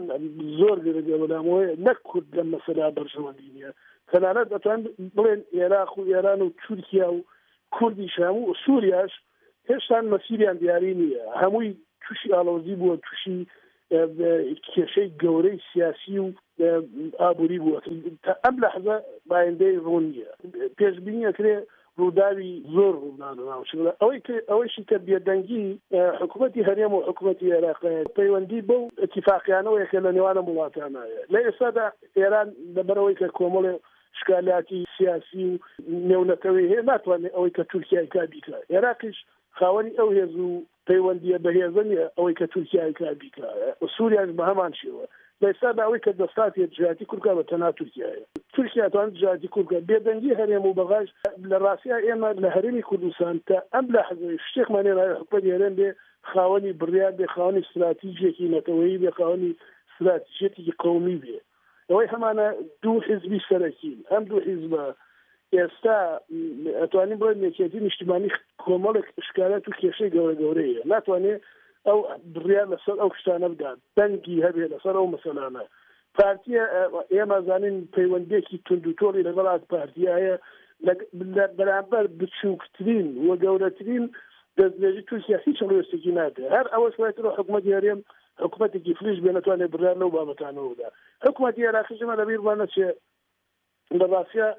زۆر گرنگە بەلامەوەیە نەک کورد لەم مەسەلە بەرژەوەندی نییە، تەنانەت ئەتوان بڵێن عێراق و ئێران و تورکیا و کوردیش هەموو سووریاش هێشتان مەسیریان دیاری نییە، هەمووی تووشی ئاڵۆزی بووە، تووشی کێشەی گەورەی سیاسی و ئابووری بووە. تا ئەم لەحزە بایندەی ڕوون نییە، پێشبینی ئەکرێ ڕووداوی زۆر ڕوودان ناوچەکە. ئەوەی ئەوەیشی کە بێدەنگی حکوومەتی هەرێم و حکوومەتی عێراق پەیوەندی بەو ئیتفاقیانەوەیە کە لە نێوان ئەم وڵاتانایە. لە ئێستادا ئێران لەبەرەوەی کە کۆمەڵێ شکالاتی سیاسی و نێونەتەوەی هەیە ناتوانێت ئەوەی کە تورکیای کا بیکا. عێراقیش خاوەنی ئەو هێز و پەیوەندیە بەهێزە نییە ئەوەی کە تورکیای کا بیکا. سووریاش بە هەمان شێوە. لە ئێستادا ئەوەی کە دەستاتێت دژایەتی کورد بکا بە تەنها تورکیایە. تورکیا توانێت دژایەتی کورد بکا. بێدەنگی هەرێم و بەغاش لە ڕاستیا ئێمە لە هەرێمی کوردستان تا ئەم لەحزەی شتێکمان هێناوە حکومەتی هەرێم بێ خاوەنی بڕیار بێ، خاوەنی استراتیژێکی نەتەوەیی بێ، خاوەنی استراتیژێکی قەومی بێ. ئەوەی هەمانە دوو حیزبی سەرەکین. ئەم دوو حیزبە ئێستا ئەتوانین بڵێن یەکێتی نیشتیمانی کۆمەڵێک ئشکالات و کێشەی گەورە گەورەیە، ناتوانێت ئەو بڕیار لەسەر ئەو شتانە بدات، دەنگی هەبێ لەسەر ئەو مەسەلانە. پارتیە ئێمە زانین پەیوەندیەکی توند و تۆڵی لەگەڵ پارتیە هەیە لە بەرامبەر بچووکترین و گەورەترین دەستدرێژی تورکیا هیچ هەڵوێستێکی نابێ. هەر ئەوەش وایترە حکوومەتی هەرێم حکوومەتێکی فلیش بێ نەتوانێت بڕیار لەو بابەتانەوە بدا. حکوومەتی عێراقیش ئێمە لەبیرمان نەچێ لە ڕاستیا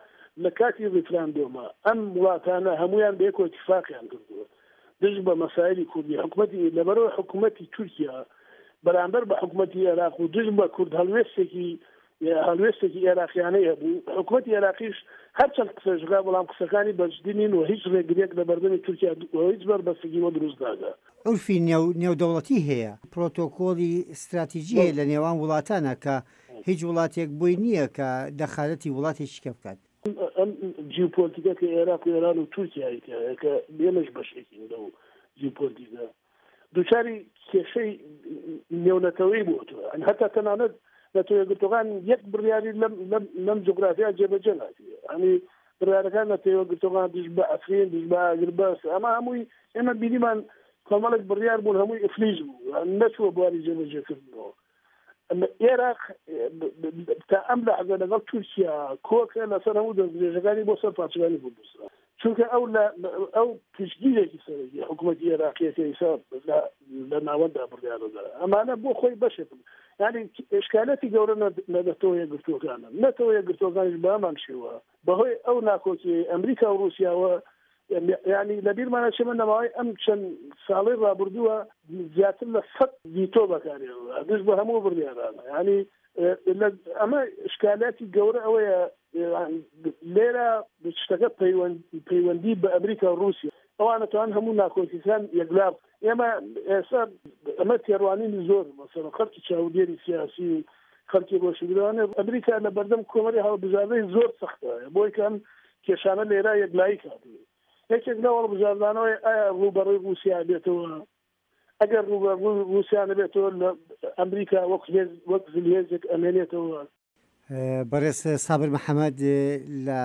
لە کاتی ڕیفراندۆمە ئەم وڵاتانە هەمویان بەیەکەوە اتفاقیان کردووە دژ بە مەسایلی کوردی. حکوومەتی لەبەرەوە حکوومەتی تورکیا بەرامبەر بە حکوومەتی عێراق و دژ بە کورد هەڵوێستێکی هەڵوێستێکی عێراقیانەی هەبوو. حکوومەتی عێراقیش هەرچەند قسەش بکا بەڵام قسەکانی بەجدی نین و هیچ ڕێگریەک لە بەردەمی تورکیا و هیچ بەربەستێکی بۆ دروست ناکا.
عورفی نێودەوڵەتی هەیە، پرۆتۆکۆلی ستراتیجی هەیە لە نێوان وڵاتانە کە هیچ وڵاتێک بۆی نییە کە دەخالەتی وڵاتێکی کە بکات.
ئەم جیوپۆلیتیکە کە عێراق و ئێران و تورکیا هەیە کە ئێمەش بەشێکین لەو جیوپۆلیتیکە، دووچاری کێشەی نێونەتەوەی بووەتەوە. هەتا تەنانەت نەتەوە یەکگرتووەکان یەک بڕیاری لەم جوگرافیا جێبەجێ ناکرێت. یعنی بڕیارەکان نەتەوە یەکگرتووەکان دژ بە ئەفرین، دژ بە ئاگربەست، ئەمە هەمووی ئێمە بینیمان کۆمەڵێک بڕیار بوون هەمووی ئیفلیج بوو، نەچووە بواری جێبەجێکردنەوە. ئەمە عێراق تا ئەم لەحزە لەگەڵ تورکیا کۆکە لەسەر هەموو دەستدرێژەکانی بۆ سەر پارچەکانی کوردستان، چونکە ئەو ئەو پشتگیرێکی سەرەکی حکوومەتی عێراقیەکە ئیسا لە ناوەندا بڕیارەدا. ئەمانە بۆ خۆی بەشێکن، یعنی ئشکالەتی گەورە لە نەتەوە یەکگرتووەکانە. نەتەوە یەکگرتووەکانیش بە هەمان شێوە بەهۆی ئەو ناکۆکی ئەمریکا و ڕووسیاوە، یعنی لەبیرمانە چێمە نەماوەی ئەم چەند ساڵەی ڕابردووە زیاتر لە سەد ڤیتۆ بەکارهێنرا دژ بە هەموو بڕیارانە. یعنی ئەمە ئشکالاتی گەورە ئەوەیە لێرە شتەکە پەیوەندی بە ئەمریکا و ڕووسیا، ئەوانە توان هەموو ناکۆکیەکان یەکلا. ئێمە ئێستا ئەمە تێڕوانینی زۆر مەسەلەن خەڵکی چاودێری سیاسی و خەڵکی ڕۆشنبیرانە، ئەمریکا لە بەردەم کۆمەری هەڵبژاردەی زۆر سەختە بۆی کە ئەم کێشانە لێرە یەکلایی کاتوێ. یەکێک لەو هەڵبژاردانەوەی ئایا ڕووبەڕووی ڕووسیا بێتەوە، ئەگەر ڕووبەڕووی ڕووسیا نەبێتەوە لە ئەمریکا وەک وەک زلهێزێک ئەمێنێتەوە.
بەڕێز سابر محەممەد لە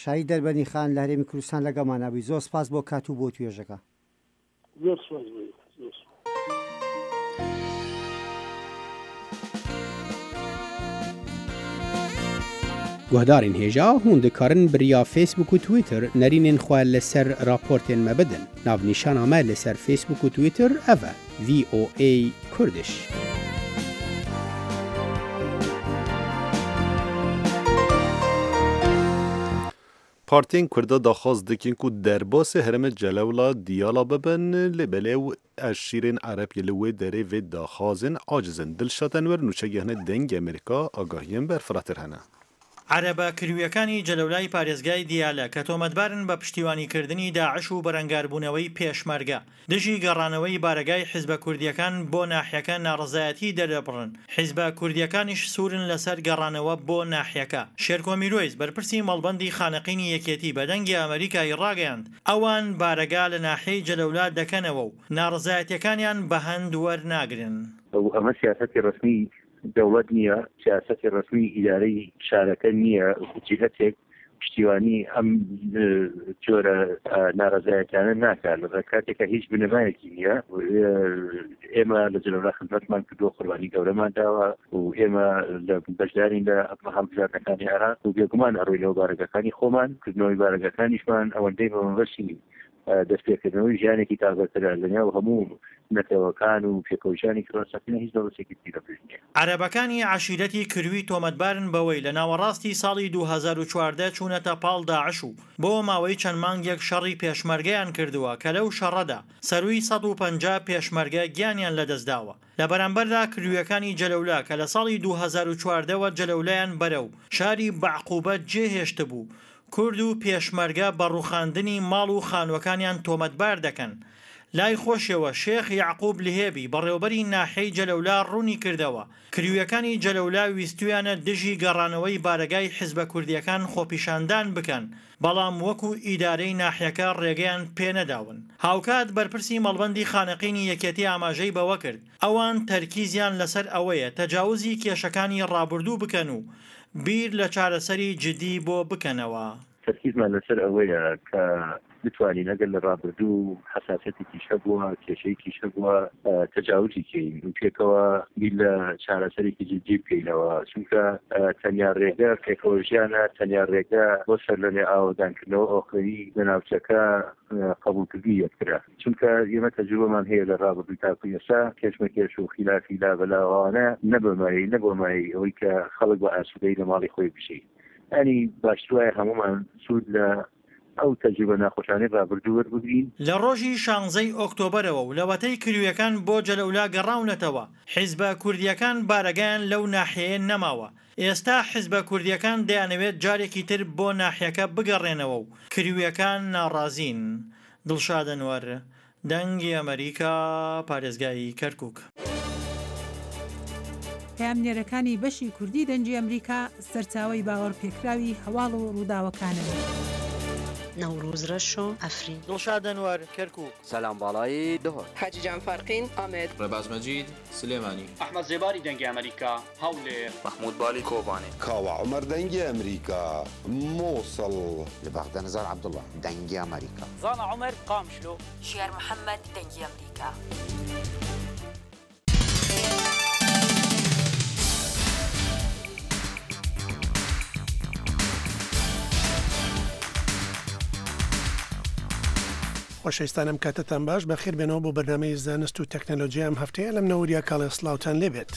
شاری دەربەنی خان لە هەرێمی کوردستان لەگەڵمانە بووی، زۆر سپاس بۆ کات و بۆ توێژەکە.
زۆر سپاس بۆ.
Guhdarên hêja hûn dikarin bi riya Facebook û Twitter nerînên xwe li ser raportên me bidin. Navnîşana me li ser Facebook û Twitter ev e: V O A Kurdish.
Partiyên Kurda daxwaz dikin ku derbasê herêma Celewla Diyala bibin, lê belê ew eşîrên Erebî li wê derê vê daxwazên aciz in. Dilşad Enwer nûçegehne Dengê Amerîka agahiyên berfirehtir hene.
عەرەبە کرویەکانی جەلەولای پارێزگای دیالە کە تۆمەتبارن بە پشتیوانیکردنی داعش و بەرەنگاربوونەوەی پێشمەرگە دژی گەڕانەوەی بارەگای حیزبە کوردیەکان بۆ ناحیەکە ناڕەزایەتی دەردەبڕن. حیزبە کوردیەکانیش سوورن لەسەر گەڕانەوە بۆ ناحیەکە. شێرکۆ میرۆیس بەرپرسی مەڵبەندی خانەقینی یەکێتی بە دەنگی ئەمریکای ڕاگەیاند ئەوان بارەگا لە ناحیەی جەلەولا دەکەنەوە و ناڕەزایەتیەکانیان بە هەند وەرناگرن.
ئەمە سیاسەتی ڕەسمی دەوڵەت نییە، سیاسەتی ڕەسمی ئیدارەی شارەکە نییە. جهتێک پشتیوانی ئەم جۆرە ناڕەزایەتیانە ناکات لە کاتێکە هیچ بنەمایەکی نییە. ئێمە لە جەلەولا خزمەتمان کردووە، قوربانی گەورەمان داوە و ئێمە لە بەشدارین لە هەڵبژاردنەکانی عێراق و بێگومان ئەڕۆینەوە بارەگەکانی خۆمان. کردنەوەی بارەگەکانیشمان ئەوەندەی بە مەبەستی دەستپێکردنەوەی ژیانێکی تازەترە لەنێو هەموو نەتەوەکان و پێکەوەژیانێکی ڕاستەقینە هیچ دەوڵەتێکی تری لەپێش نییە.
عەرەبەکانی عەشیرەتی کروی تۆمەتبارن بەوەی لە ناوەڕاستی ساڵی دوو هەزار و چواردە چوونەتە پاڵ داعش و بۆ ماوەی چەند مانگێک شەڕی پێشمەرگەیان کردووە کە لەو شەڕەدا سەروی سەد و پەنجا پێشمەرگە گیانیان لەدەستداوە. لە بەرامبەردا کرویەکانی جەلەولا کە لە ساڵی دوو هەزار و چواردەوە جەلەولایان بەرەو شاری بەعقوبە جێهێشتبوو، کورد و پێشمەرگە بە ڕوخاندنی ماڵ و خانوەکانیان تۆمەتبار دەکەن. لای خۆشەوە شێخ یەعقوب لهێبی بەڕێوبەری ناحیەی جەلەولا ڕوونی کردەوە کرویەکانی جەلەولا ویستویانە دژی گەڕانەوەی بارەگای حیزبە کوردیەکان خۆپیشاندان بکەن، بەڵام وەکو ئیدارەی ناحیەکە ڕێگەیان پێنەداون. هاوکات بەرپرسی مەڵبەندی خانەقینی یەکێتی ئاماژەی بەوە کرد ئەوان تەرکیزیان لەسەر ئەوەیە تەجاوزی کێشەکانی ڕابردوو بکەن و بیر لە چارەسەری جدی بۆ بکەنەوە.
تەرکیزمان لەسەر ئەوەیە کە بتوانین ئەگەر لە ڕابردوو حەساسیەتێکیش هەبووە، کێشەیەکیش هەبووە، تەجاوزی کەین و پێکەوە بیر لە چارەسەرێکی جدی بکەینەوە، چونکە تەنیا ڕێگە پێکەوە ژیانە، تەنیا ڕێگە بۆ سەرلەنوێ ئاوەدانکردنەوە ئۆخری لە ناوچەکە قبوڵکردنی یەکترە، چونکە ئێمە تەجروبەمان هەیە لە ڕابردوو تاکو ئێستا کێشمەکێش و خیلافی لابەلاوانە نەبەمای نەبۆمای ئەوەی کە خەڵک بە ئاسوودەیی لە ماڵی خۆی بژی. ینی باشتر وایە هەمومان سوود لە ئەو تەجروبە ناخۆشانەی ڕابردوو وەربگرین.
لە ڕۆژی شانزەی ئۆکتۆبەرەوە و لەوەتەی کرویەکان بۆ جەلەولا گەڕاونەتەوە، حیزبە کوردیەکان بارەگایان لەو ناحیەیە نەماوە. ئێستا حیزبە کوردیەکان دەیانەوێت جارێکی تر بۆ ناحیەکە بگەڕێنەوە و کرویەکان ناڕازین. دڵشاد ئەنوەر، دەنگی ئەمەریکا، پارێزگای کەرکوک.
پەیامنێرەکانی بەشی کوردی دەنگی ئەمریکا سەرچاوەی باوەڕپێکراوی هەواڵ و ڕووداوەکانن.
نەوروز رەشۆ، عەفرین.
دڵشاد ئەنوەر، کەرکوک.
سەلام باڵایی، دهۆک.
حاجی جان فارقین، ئامەد.
ڕێباز مەجید، سلێمانی.
ئەحمەد زێباری، دەنگی ئەمریکا، هەولێر.
مەحمود بالی، کۆبانێ.
کاوە عومەر، دەنگی ئەمریکا، موسڵ.
لە بەغدا نزار عەبدوڵڵا، دەنگی ئەمریکا.
زانا عومەر، قامشلۆ.
ژیار محەممەد، دەنگی ئەمریکا.
خۆشەویستان ئەم کاتەتان باش، بەخێر بێنەوە بۆ بەرنامەی زانست و تەکنەلۆژیا ئەم هەفتەیە لەم نەوریا کاڵێ سڵاوتان لێبێت.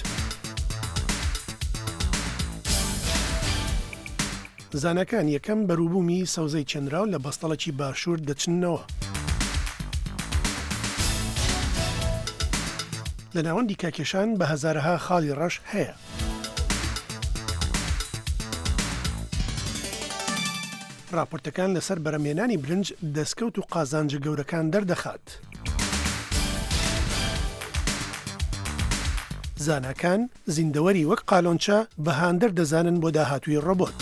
زاناکان یەکەم بەروبوومی سەوزەی چێنراو لە بەستەڵەکی باشوور دەچننەوە. لە ناوەندی کاکێشان بە هەزارەها خاڵی ڕەش هەیە. راپۆرتەکان لەسەر بەرەمهێنانی برنج دەستکەوت و قازانجە گەورەکان دەردەخات. زاناکان زیندەوەری وەک قالۆنچە بە هاندەر دەزانن بۆ داهاتووی ڕۆبۆت.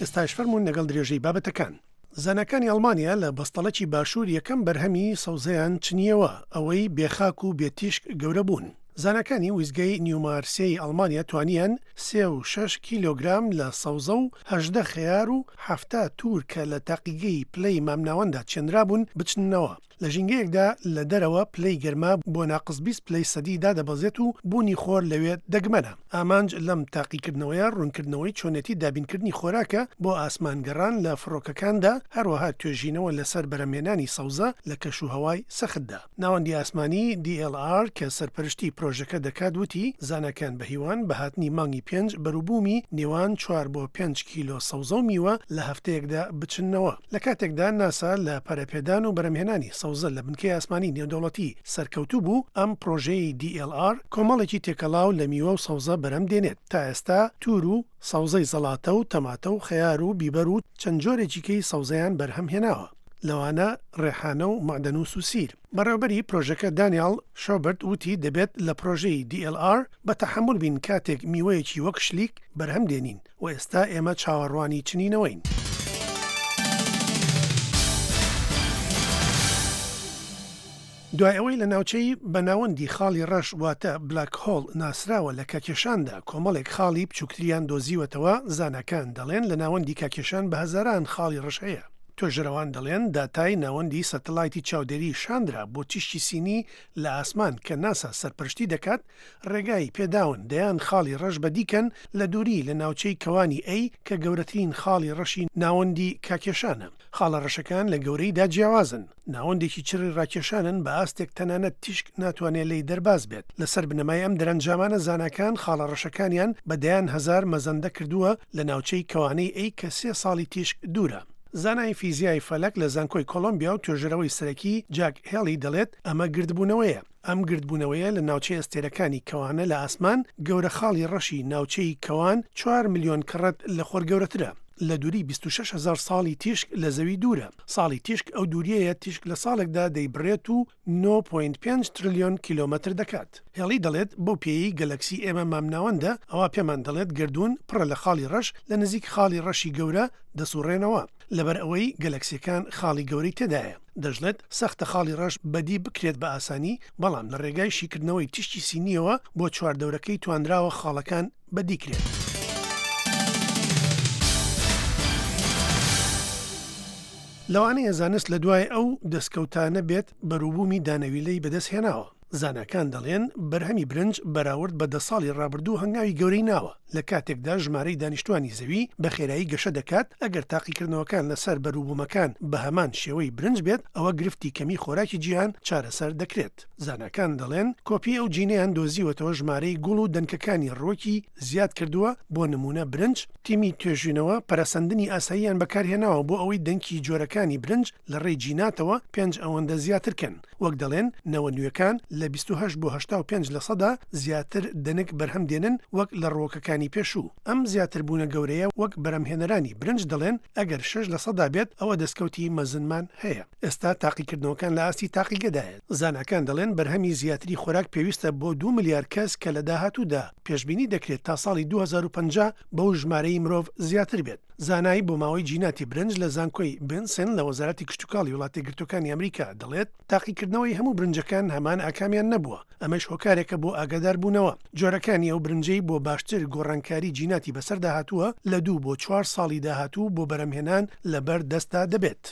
ئێستاش فەرموون لەگەڵ درێژەی بابەتەکان. زاناکانی ئەڵمانیا لە بەستەڵەکی باشوور یەکەم بەرهەمی سەوزەیان چنیەوە، ئەوەی بێخاک و بێتیشک گەورە بوون. زاناکانی ویزگەی نیومارسیی ئەڵمانیا توانیان سێ و شەش کیلۆگرام لە سەوزە و هەژدە خەیار و حەفتا تور کە لە تاقیگەی پلەی مامناوەندا چێنرابوون بچننەوە. لە ژینگەیەکدا لە دەرەوە پلەی گەرما بۆ ناقس بیست پلەی سەدی دادەبەزێت و بوونی خۆر لەوێ دەگمەنە. ئامانج لەم تاقیکردنەوەیە ڕوونکردنەوەی چۆنێتی دابینکردنی خۆراکە بۆ ئاسمانگەڕان لە فڕۆکەکاندا، هەروەها توێژینەوە لەسەر بەرەمهێنانی سەوزە لە کەش و هەوای سەختدا. ناوەندی ئاسمانی دی ئێل ئار کە سەرپەرشتی پرۆژەکە دەکات وتی زاناکان بە هیوان بە هاتنی مانگی پێنج بەروبوومی نێوان چوار بۆ پێنج کیلۆ سەوزە و میوە لە هەفتەیەکدا بچننەوە. لە کاتێکدا ناسا لە پەرەپێدان و بەرەمهێنانی سەوزە لە بنکەی ئاسمانی نێودەوڵەتی سەرکەوتوو بوو، ئەم پرۆژەی دی ئێل ئار کۆمەڵێکی تێکەڵاو لە میوە و سەوزە بەرەم دێنێت. تا ئێستا تور و سەوزەی زەڵاتە و تەماتە و خەیار و بیبەر و چەند جۆرێکی کەی سەوزەیان بەرهەم هێناوە، لەوانە ڕێحانە و مەعدەنووس و سیر. بەڕێوەبەری پرۆژەکە دانیال شۆبەرت وتی دەبێت لە پرۆژەی دی ئێل ئار بە تەحەمول بین کاتێک میوەیەکی وەک شلیک بەرهەم دێنین و ئێستا ئێمە چاوەڕوانی چنینەوەین. دوای ئەوەی لە ناوچەی بە ناوەندی خاڵی ڕەش واتە بلاک هۆڵ ناسراوە لە کاکێشاندا کۆمەڵێک خاڵی بچووکتریان دۆزیوەتەوە، زاناکان دەڵێن لە ناوەندی کاکێشان بە هەزاران خاڵی ڕەش هەیە. توێژەرەوان دەڵێن داتای ناوەندی سەتەلایتی چاودێری شاندرا بۆ تیشکی سینی لە ئاسمان کە ناسا سەرپەرشتی دەکات ڕێگای پێداون دەیان خاڵی ڕەش بەدیکەن لە دووری لە ناوچەی کەوانی ئەی کە گەورەترین خاڵی ڕەشی ناوەندی کاکێشانە. خاڵە ڕەشەکان لە گەورەیدا جیاوازن، ناوەندێکی چڕی ڕاکێشانن بە ئاستێک تەنانەت تیشک ناتوانێت لێی دەرباز بێت. لەسەر بنەمای ئەم دەرەنجامانە زاناکان خاڵە ڕەشەکانیان بە دەیان هەزار مەزەندە کردووە لە ناوچەی کەوانەی ئەی کە سێ ساڵی تیشک دوورە. زانای فیزیای فەلەک لە زانکۆی کۆلۆمبیا و توێژەرەوەی سەرەکی جاک هێڵی دەڵێت ئەمە گردبوونەوەیە. ئەم گردبوونەوەیە لە ناوچەی ئەستێرەکانی کەوانە لە ئاسمان گەورە خاڵی ڕەشی ناوچەی کەوان چوار ملیۆن کەڕەت لە خۆر گەورەترە. لە دووری بیست و شەش هەزار ساڵی تیشک لە زەوی دوورە. ساڵی تیشک ئەو دووریەیە تیشک لە ساڵێکدا دەیبڕێت و نۆ پۆینت پێنج ترلیۆن کیلۆمەتر دەکات. هێڵی دەڵێت بەو پێیەی گەلەکسی ئێمە مامناوەندە، ئەوە پێمان دەڵێت گەردوون پڕە لە خاڵی ڕەش لە نزیک خاڵی ڕەشی گەورە دەسوڕێنەوە، لەبەر ئەوەی گەلەکسیەکان خاڵی گەورەی تێدایە. دەشڵێت سەختە خاڵی ڕەش بەدی بکرێت بە ئاسانی، بەڵام لە ڕێگای شیکردنەوەی تیشکی سینیەوە بۆ چواردەورەکەی توانراوە خاڵەکان بەدی کرێت. لەوانەیە زانست لە دوای ئەو دەستکەوتانە بێت بەروبوومی دانەویلەی بەدەست هێناوە. زاناکان دەڵێن بەرهەمی برنج بەراورد بە دە ساڵی ڕابردوو هەنگاوی گەورەی ناوە، لە کاتێکدا ژمارەی دانیشتوانی زەوی بە خێرایی گەشە دەکات. ئەگەر تاقیکردنەوەکان لەسەر بەروبوومەکان بە هەمان شێوەی برنج بێت، ئەوە گرفتی کەمی خۆراکی جیهان چارەسەر دەکرێت. زاناکان دەڵێن کۆپی ئەو جینەیان دۆزیوەتەوە ژمارەی گوڵ و دەنکەکانی ڕووەکی زیاد کردووە، بۆ نمونە برنج. تیمی توێژینەوە پەرەسەندنی ئاساییان بەکارهێناوە بۆ ئەوەی دەنکی جۆرەکانی برنج لە ڕێی جیناتەوە پێنج ئەوەندە زیاتر کەن. وەک دەڵێن نەوە نوێەکان لە بیست و هەشت بۆ هەشتا و پێنج لە سەدا زیاتر دەنک بەرهەم دێنن وەک لە ڕووەکەکانی پێشوو. ئەم زیاتر بوونە گەورەیە وەک بەرهەمهێنەرانی برنج دەڵێن ئەگەر شەش لە سەدا بێت ئەوە دەستکەوتی مەزنمان هەیە. ئێستا تاقیکردنەوەکان لە ئاستی تاقیگەدایە. زاناکان دەڵێن بەرهەمی زیاتری خۆراک پێویستە بۆ دوو ملیار کەس کە لە داهاتوودا پێشبینی دەکرێت تا ساڵی دوو هەزار و پەنجا بەو ژمارەی مرۆڤ زیاتر بێت. زانایی بۆ ماوەی جیناتی برنج لە زانکۆی بنسن لە وەزارەتی کشتتوکاڵی وڵاتی گرتوەکانی ئەمریکا دەڵێت تاقیکردنەوەی هەموو برنجەکان هەمان ئاکامیان نەبووە، ئەمەش هۆکارێکە بۆ ئاگاداربوونەوە. جۆرەکانی ئەو برنجەی بۆ باشتر گۆڕانکاری جیناتی بەسەردا هاتووە لە دوو بۆ چوار ساڵی داهاتوو بۆ بەرەمهێنان لەبەر دەستدا دەبێت.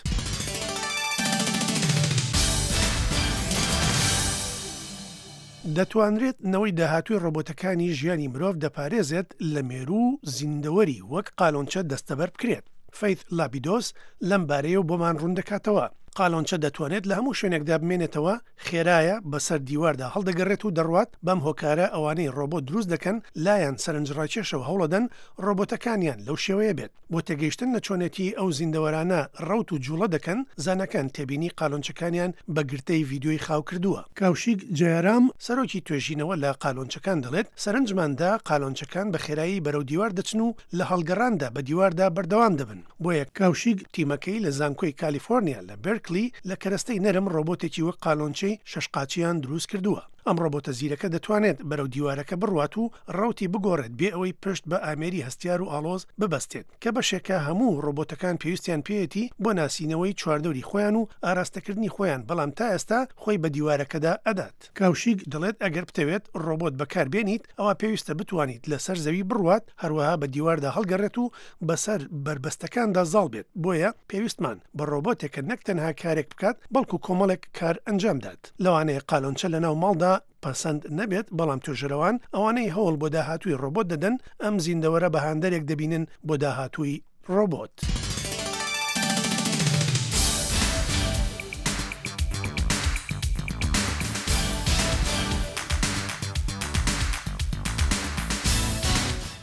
دەتوانرێت نەوەی داهاتووی ڕۆبۆتەکانی ژیانی مرۆڤ دەپارێزێت لە مێرو و زیندەوەری وەک قالۆنچە دەستەبەر بکرێت. فەیث لابیدۆس لەم بارەیەوە بۆمان ڕوون دەکاتەوە. قالۆنچە دەتوانێت لە هەموو شوێنێکدا بمێنێتەوە، خێرایە، بەسەر دیواردا هەڵدەگەڕێت و دەڕوات. بەم هۆکارە ئەوانەی ڕۆبۆت دروست دەکەن لایەن سەرنجڕاکێشەوە هەوڵەدەن ڕۆبۆتەکانیان لەو شێوەیە بێت. بۆ تێگەیشتن لە چۆنێتی ئەو زیندەوەرانە ڕەوت و جوڵە دەکەن، زاناکان تێبینی قالۆنچەکانیان بە گرتەی ڤیدیۆی خاو کردووە. کاوشیک جەیارام سەرۆکی توێژینەوە لە قالۆنچەکان دەڵێت سەرنجماندا قالۆنچەکان بە خێرایی بەرەو دیوار دەچن و لە هەڵگەڕاندا بە دیواردا بەردەوام دەبن. بۆیە کاوشیک تیمەکەی لە زانکۆی کالیفۆرنیا لە بێرکلی لە کەرەستەی نەرم ڕۆبۆتێکی وەک قالۆنچەی شەشقاچیان دروست کردووە. ئەم ڕۆبۆتە زیرەکە دەتوانێت بەرەو دیوارەکە بڕوات و ڕەوتی بگۆڕێت بێ ئەوەی پشت بە ئامێری هەستیار و ئاڵۆز ببەستێت، کە بەشێکە هەموو ڕۆبۆتەکان پێویستیان پێیەتی بۆ ناسینەوەی چواردەوری خۆیان و ئاراستەکردنی خۆیان، بەڵام تا ئێستا خۆی بە دیوارەکەدا ئەدات. کاوشیک دەڵێت ئەگەر بتەوێت ڕۆبۆت بەکاربێنیت ئەوە پێویستە بتوانیت لەسەر زەوی بڕوات، هەروەها بە دیواردا هەڵگەڕێت و بەسەر بەربەستەکاندا زاڵ بێت. بۆیە پێویستمان بە ڕۆبۆتێکە نەک تەنها کارێک بکات بەڵکو کۆمەڵێک کار ئەنجامدات. لەوانەیە قالۆنچە لەناو ماڵدا پەسەند نەبێت، بەڵام توێژەرەوان ئەوانەی هەوڵ بۆ داهاتووی ڕۆبۆت دەدەن ئەم زیندەوەرە بە هاندەرێک دەبینن بۆ داهاتووی ڕۆبۆت.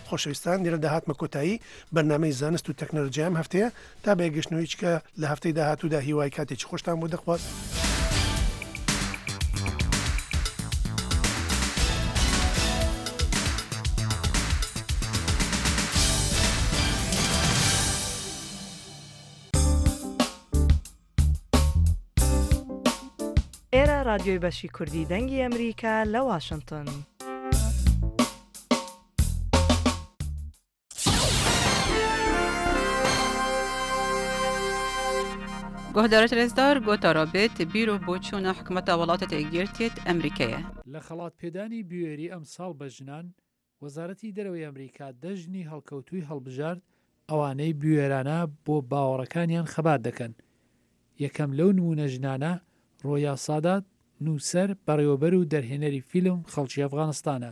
خۆشەویستان، لێرە داهاتمە کۆتایی بەرنامەی زانست و تەکنەلۆژیام هەفتەیە تا بەیەکگەشتنەوەی چکە لە هەفتەی داهاتوودا هیوای کاتێکی خۆشتان بۆ دەخواست.
ئێرە رادیۆی بەشی کوردی دەنگی ئەمریکا لە واشنگتن.
گۆهدارت رێزدار گۆتارا بێت بیر و بۆچوونە حکومەتە وڵاتە یەکگرتیت ئەمریکایە.
لە خەڵات پێدانی بوێری ئەمساڵ بە ژنان، وەزارەتی دەرەوەی ئەمریکا دە ژنی هەڵکەوتووی هەڵبژارد ئەوانەی بوێرانە بۆ باوەڕەکانیان خەبات دەکەن. یەکەم لەو نمونە ژنانە ڕۆیا سادات، نووسەر، بەڕێوەبەر و دەرهێنەری فیلم خەڵکی ئەفغانستانە.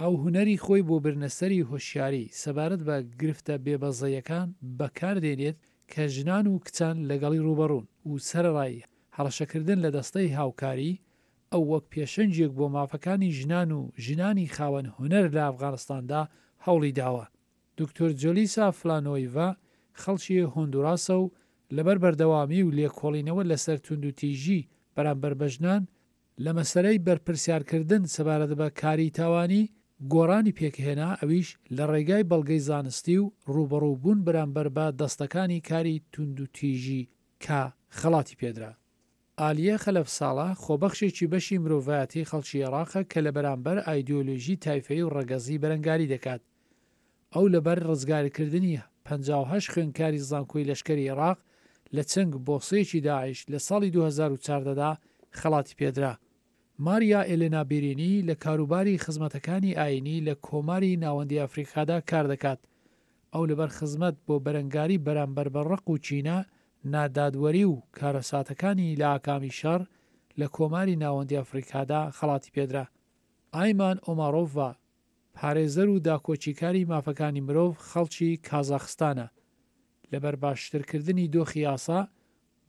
ئەو هونەری خۆی بۆ برنەسەری هۆشیاری سەبارەت بە گرفتە بێبەزەیەکان بەکاردێنێت کە ژنان و کچان لەگەڵی ڕووبەڕوون و سەرەڕای هەڕەشەکردن لە دەستەی هاوکاری، ئەو وەک پێشەنگێک بۆ مافەکانی ژنان و ژنانی خاوەن هونەر لە ئەفغانستاندا هەوڵی داوە. دکتۆر جۆلیسا فلانۆیڤا خەڵکی هۆندوراسە و لەبەر بەردەوامی و لێکۆڵینەوە لەسەر توندوتیژی بەرامبەر بە ژنان لە مەسەلەی بەرپرسیارکردن سەبارەت بە کاری تاوانی گۆڕانی پێکهێنا ئەویش لە ڕێگای بەڵگەی زانستی و ڕووبەڕوو بوون بەرامبەر بە دەستەکانی کاری توندوتیژی کە خەڵاتی پێدرا. عالیە خەلەف ساڵح خۆبەخشێکی بەشی مرۆڤایەتی خەڵکی عێراقە کە لە بەرامبەر ئایدیۆلۆژی تایفەیی و ڕەگەزی بەرەنگاری دەکات. ئەو لەبەر ڕزگارکردنی پەنجا و هەشت خوێندکاری زانکۆی لەشکری عێراق لە چنگ بۆسەیەکی داعش لە ساڵی دوو هەزار و چواردە دا خەڵاتی پێدرا. ماریا ئێلێنا بیرینی لە کاروباری خزمەتەکانی ئایینی لە کۆماری ناوەندی ئەفریقادا کار دەکات. ئەو لەبەر خزمەت بۆ بەرەنگاری بەرامبەر بە ڕق و کینە، نادادوەری و کارەساتەکانی لە ئاکامی شەڕ لە کۆماری ناوەندی ئەفریقادا خەڵاتی پێدرا. ئایمان ئۆمارۆڤا، پارێزەر و داکۆکیکاری مافەکانی مرۆڤ خەڵکی کازاخستانە، لەبەر باشترکردنی دۆخی یاسا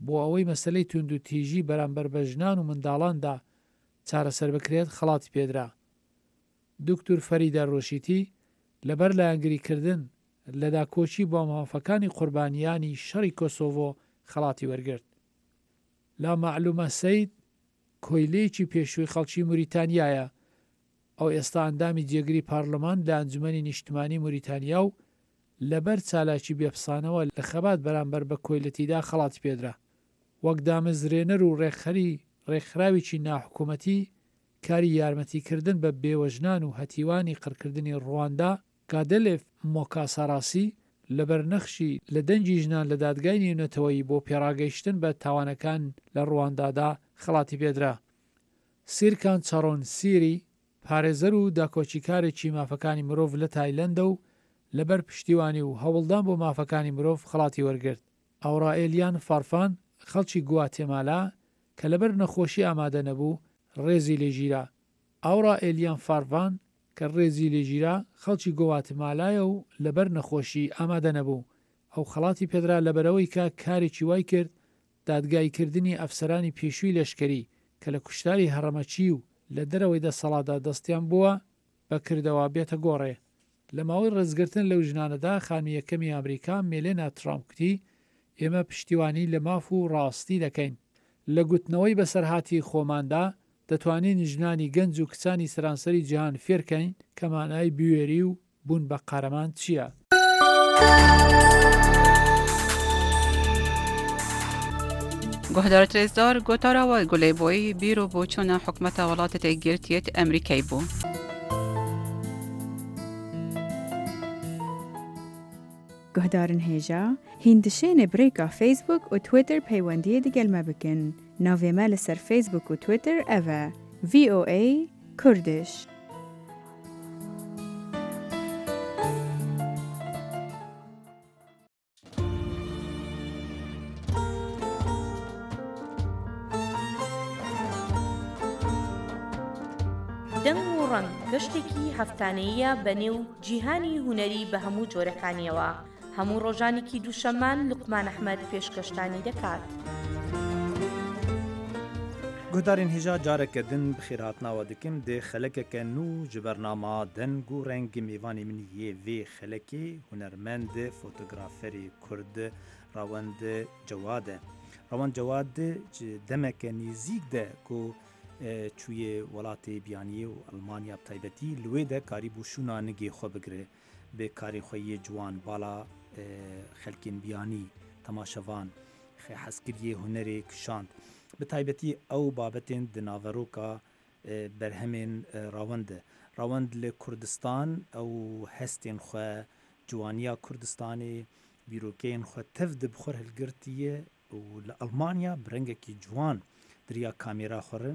بۆ ئەوەی مەسەلەی توندوتیژی بەرامبەر بە ژنان و منداڵاندا چارەسەر بکرێت خەڵاتی پێدرا. دکتور فەریدە ڕۆشیتی لەبەر لایەنگریکردن لە داکۆکی بۆ مافەکانی قوربانیانی شەڕی کۆسۆڤۆ خەڵاتی وەرگرت. لا مەعلومە سەید کۆیلەیەکی پێشووی خەڵکی موریتانیایە. ئەو ئێستا ئەندامی جێگری پارلمان لە ئەنجومەنی نیشتمانی موریتانیا و لەبەر چالاکی بێپسانەوە لە خەبات بەرامبەر بە کۆیلەتیدا خەڵاتی پێدرا. وەک دامەزرێنەر و ڕێکخەری ڕێکخراوێکی ناحکومەتی کاری یارمەتیکردن بە بێوەژنان و هەتیوانی قڕکردنی ڕواندا، گادلێف مۆکاساراسی لەبەر نەخشی لە دەنگی ژنان لە دادگای نێونەتەوەیی بۆ پێڕاگەیشتن بە تاوانەکان لە ڕواندادا خەڵاتی پێدرا. سیرکان چارۆن سیری پارێزەر و داکۆکیکارێکی مافەکانی مرۆڤ لە تایلەندە و لەبەر پشتیوانی و هەوڵدان بۆ مافەکانی مرۆڤ خەڵاتی وەرگرت. ئاورائێلیان فارفان خەڵکی گواتێمالا کە لەبەر نەخۆشی ئامادە نەبوو ڕێزی لێگیرا. ئاورائێلیان فارفان کە ڕێزی لێگیرا خەڵکی گواتێمالایە و لەبەر نەخۆشی ئامادە نەبوو. ئەو خەڵاتی پێدرا لەبەرەوەی کە کارێکی وای کرد دادگاییکردنی ئەفسەرانی پێشووی لەشکری کە لە کوشتاری هەڕەمەکی و لە دەرەوەی دەسەڵاتدا دەستیان بووە بەکردەوە بێتە گۆڕێ. لە ماوەی ڕێزگرتن لەو ژنانەدا خانمی یەکەمی ئەمریکا مێلێنا ترامپ گوتی ئێمە پشتیوانی لە ماف و ڕاستی دەکەین. لە گوتنەوەی بەسەرهاتی خۆماندا دەتوانین ژنانی گەنج و کچانی سەرانسەری جیهان فێرکەین کە مانای بوێری و بوون بە قارەمان چییە؟
گۆهدار ترێزدار گۆتاراوە گولەی بۆی بیر و بۆچوونە حکومەتە وڵاتە تێگرتیەت ئەمریکای بوو.
گۆهدارن هێژا هیندشێنێ برێکا فەیسبوک و تویتر پەیوەندیە دگەل مە بکن. ناوێ مە لەسەر فەیسبوک و تویتر ئەڤە ڤی ئۆ ئەی کوردش.
دەنگ و ڕەنگ گەشتێکی هەفتانەیە بەنێو جیهانی هونەری بە هەموو جۆرەکانیەوە. هەموو ڕۆژانێکی دووشەممان لوقمان ئەحمەد پێشکەشتانی دەکات.
گۆهدارên hêja careke din bi xêrhatinawa dikim dê xelekeke nû ji bernama deng û reng mêvanê min yê vê xelekê hunermend fotograferê Kurd Rawend Cewad e. Rawend Cewad ji demeke nêzîk de ku çûye welatê biyaniyê û Almanya bi taybetî li wê de karîbû şûna nigê xwe bigire bi karê xwe yê ciwan bala xelkên biyanî temaşevan hezkiriyê hunerê kişand. Bi taybetî ew babetên di naveroka berhemên Rawend e. Rawend li Kurdistan ew hestên xwe ciwaniya Kurdistanê bîrokeyên xwe tev di bi xwe hilgirtiye û li Almanya bi rengekî ciwan diriya kamêra xwe re,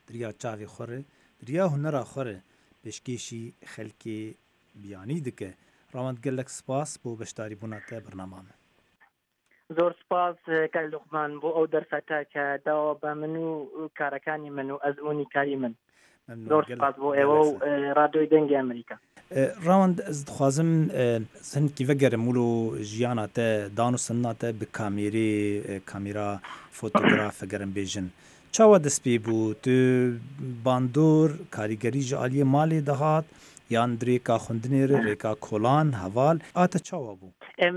diriya çavê xwe re, diriya hunera xwe re pêşkêşî xelkê biyanî dike. Rawend gelek spas bo beşdarîbûna te bernama me.
زۆر سپاس کاک لوقمان بۆ ئەو دەرفەتە کە داوە بە من و کارەکانی من و ئەزموونی کاری من. زۆر سپاس بۆ ئێوە و رادیۆی دەنگی ئەمریکا.
ڕاوەند ez dixwazim hinkî vegerim wilo jiyana te dan û sindina te bi kamêrê kamêra fotograf vegerim bêjin. Çawa dest pê bû tu bandor karîgerî ji aliyê malê dihat یان rêka xwendinê re rêka kolan heval a te çawa bû؟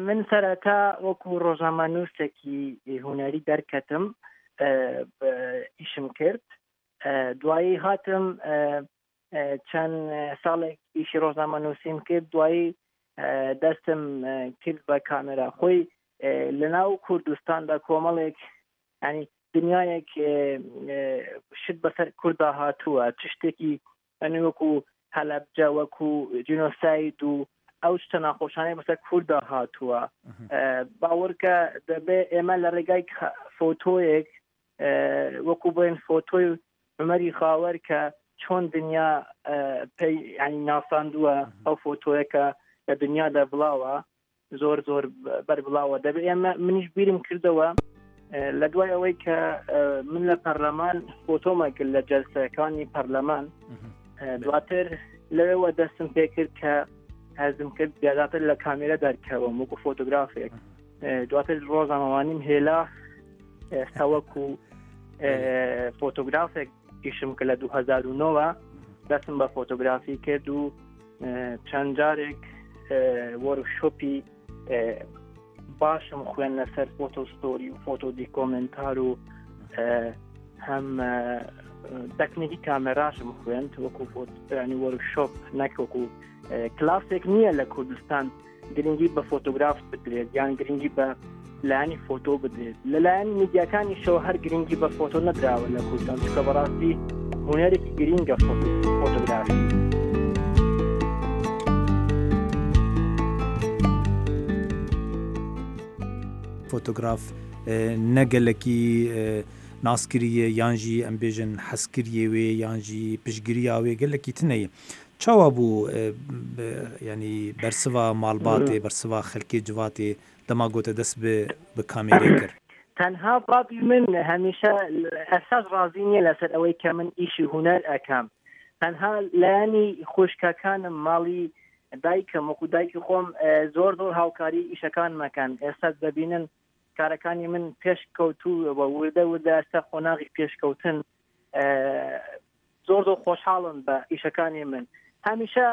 من سەرەتا وەکو ڕۆژنامەنووسێکی هونەری دەرکەتم ئیشم کرد. دوایی هاتم چەند ساڵێک ئیشی ڕۆژنامە نووسیم کرد، دوایی دەستم کرد بە کامێرا. خۆی لەناو کوردستاندا کۆمەڵێک ینی دنیایەک شت بەسەر کووردا هاتووە، چ شتێکی ئەنی وەکو هەلەبجە، وەکو جینۆساید و ئەو شتە ناخۆشانەی بەسەر کووردا هاتووە. باوەڕکە دەبێ ئێمە لە ڕێگای فۆتۆیەک وەکو بڵێن فۆتۆی عومەری خاوەر کە چۆن دنیا پێی ینی ناساندووە، ئەو فۆتۆیەکە لە دنیادا بڵاوە، زۆر زۆر بەربڵاوە. دەبێ ئێمە منیش بیرم کردەوە لە دوای ئەوەی کە من لە پەرلەمان فۆتۆمە کرد لە جەلسەکانی پەرلەمان، دواتر لەوێوە دەستم پێکرد کە هەزم کرد زیاتر لە کامێرا دەرکەوم وەکو فۆتۆگرافێک. دواتر ڕۆژنامەوانیم هێلا ئێستا وەکو فۆتۆگرافێک ئیشم کە لە دوو هەزار و نۆ دەستم بە فۆتۆگرافی کرد و چەند جارێک وۆرکشۆپی باشم خوێن لەسەر فۆتۆ ستۆری و فۆتۆ دیکۆمنتار و هەم تەکنیکی کامێراشم خوێند وەکو ینی وۆرکشۆپ، نەک وەکو کلاسێک نییە لە کوردستان گرنگی بە فۆتۆگراف بدرێت یان گرنگی بە لایەنی فۆتۆ بدرێت. لەلایەن میدیاکانیشەوە هەر گرنگی بە فۆتۆ نەدراوە لە کوردستان، چونکە بەڕاستی هونەرێکی گرنگە فۆتۆگرافی.
فۆتۆگراف نەگەلەکی ناسکریە یانژی ئەم بێژن حەسکریە وێ یانژی پشتگیریا وێ گەلەکی تنەیە. چاوا بوو ینی بەرسڤا ماڵباتێ، بەرسڤا خەلکێ جڤاتێ دەما گۆتە دەست بە کامێرێ کرد؟
تەنها بابی من هەمیشە ئەساس ڕازی نییە لەسەر ئەوەی کە من ئیشی هونەر ئەکەم. تەنها لایەنی خوشکەکانم، ماڵی دایکم وەکو دایکی خۆم زۆر زۆر هاوکاری ئیشەکانمەکەن. ئێستا دەبینن کارەکانی من پێشکەوتوو و وردە وردە ئێستا قۆناغی پێشکەوتن، زۆر زۆر خۆشحاڵن بە ئیشەکانی من. هەمیشە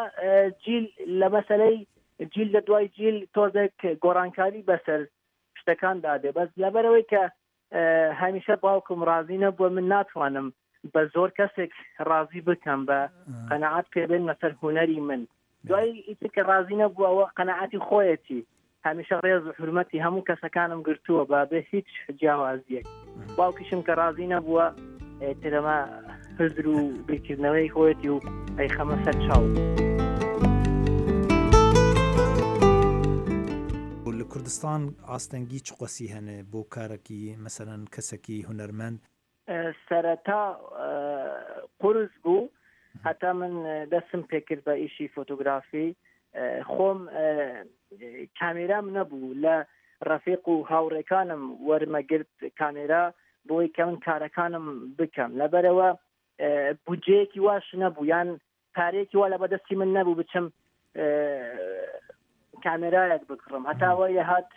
جیل لە مەسەلەی جیل لە دوای جیل تۆزێک گۆڕانکاری بەسەر شتەکاندا دێ، بەس لەبەرەوەی کە هەمیشە باوکم ڕازی نەبووە من ناتوانم بە زۆر کەسێک ڕازی بکەم بە قەناعەت پێبێن لەسەر هونەری من. دوای ئیتر کە ڕازی نەبووە ئەوە قەناعەتی خۆیەتی. هەمیشە ڕێز و حورمەتی هەموو کەسەکانم گرتووە بە بێ هیچ جیاوازیەک. باوکیشم کە ڕازی نەبووە ترەمە هزر و بیرکردنەوەی خۆیەتی و ئەیخەمە سەر چاو.
لە کوردستان ئاستەنگی چ قەسی هەنێ بۆ کارێکی مەسەلەن کەسێکی هونەرمەند؟
سەرەتا قورس بوو هەتا من دەستم پێکرد بە ئیشی فۆتۆگرافی. خۆم کامێرام نەبوو، لە ڕەفیق و هاوڕێکانم وەرمەگرت کامێرا بۆی کە من کارەکانم بکەم. لەبەرەوە بودجەیەکی واش نەبوو یان پارەیەکی وا لە بەدەستی من نەبوو بچم کامێرایەک بکڕم. هەتا وای هات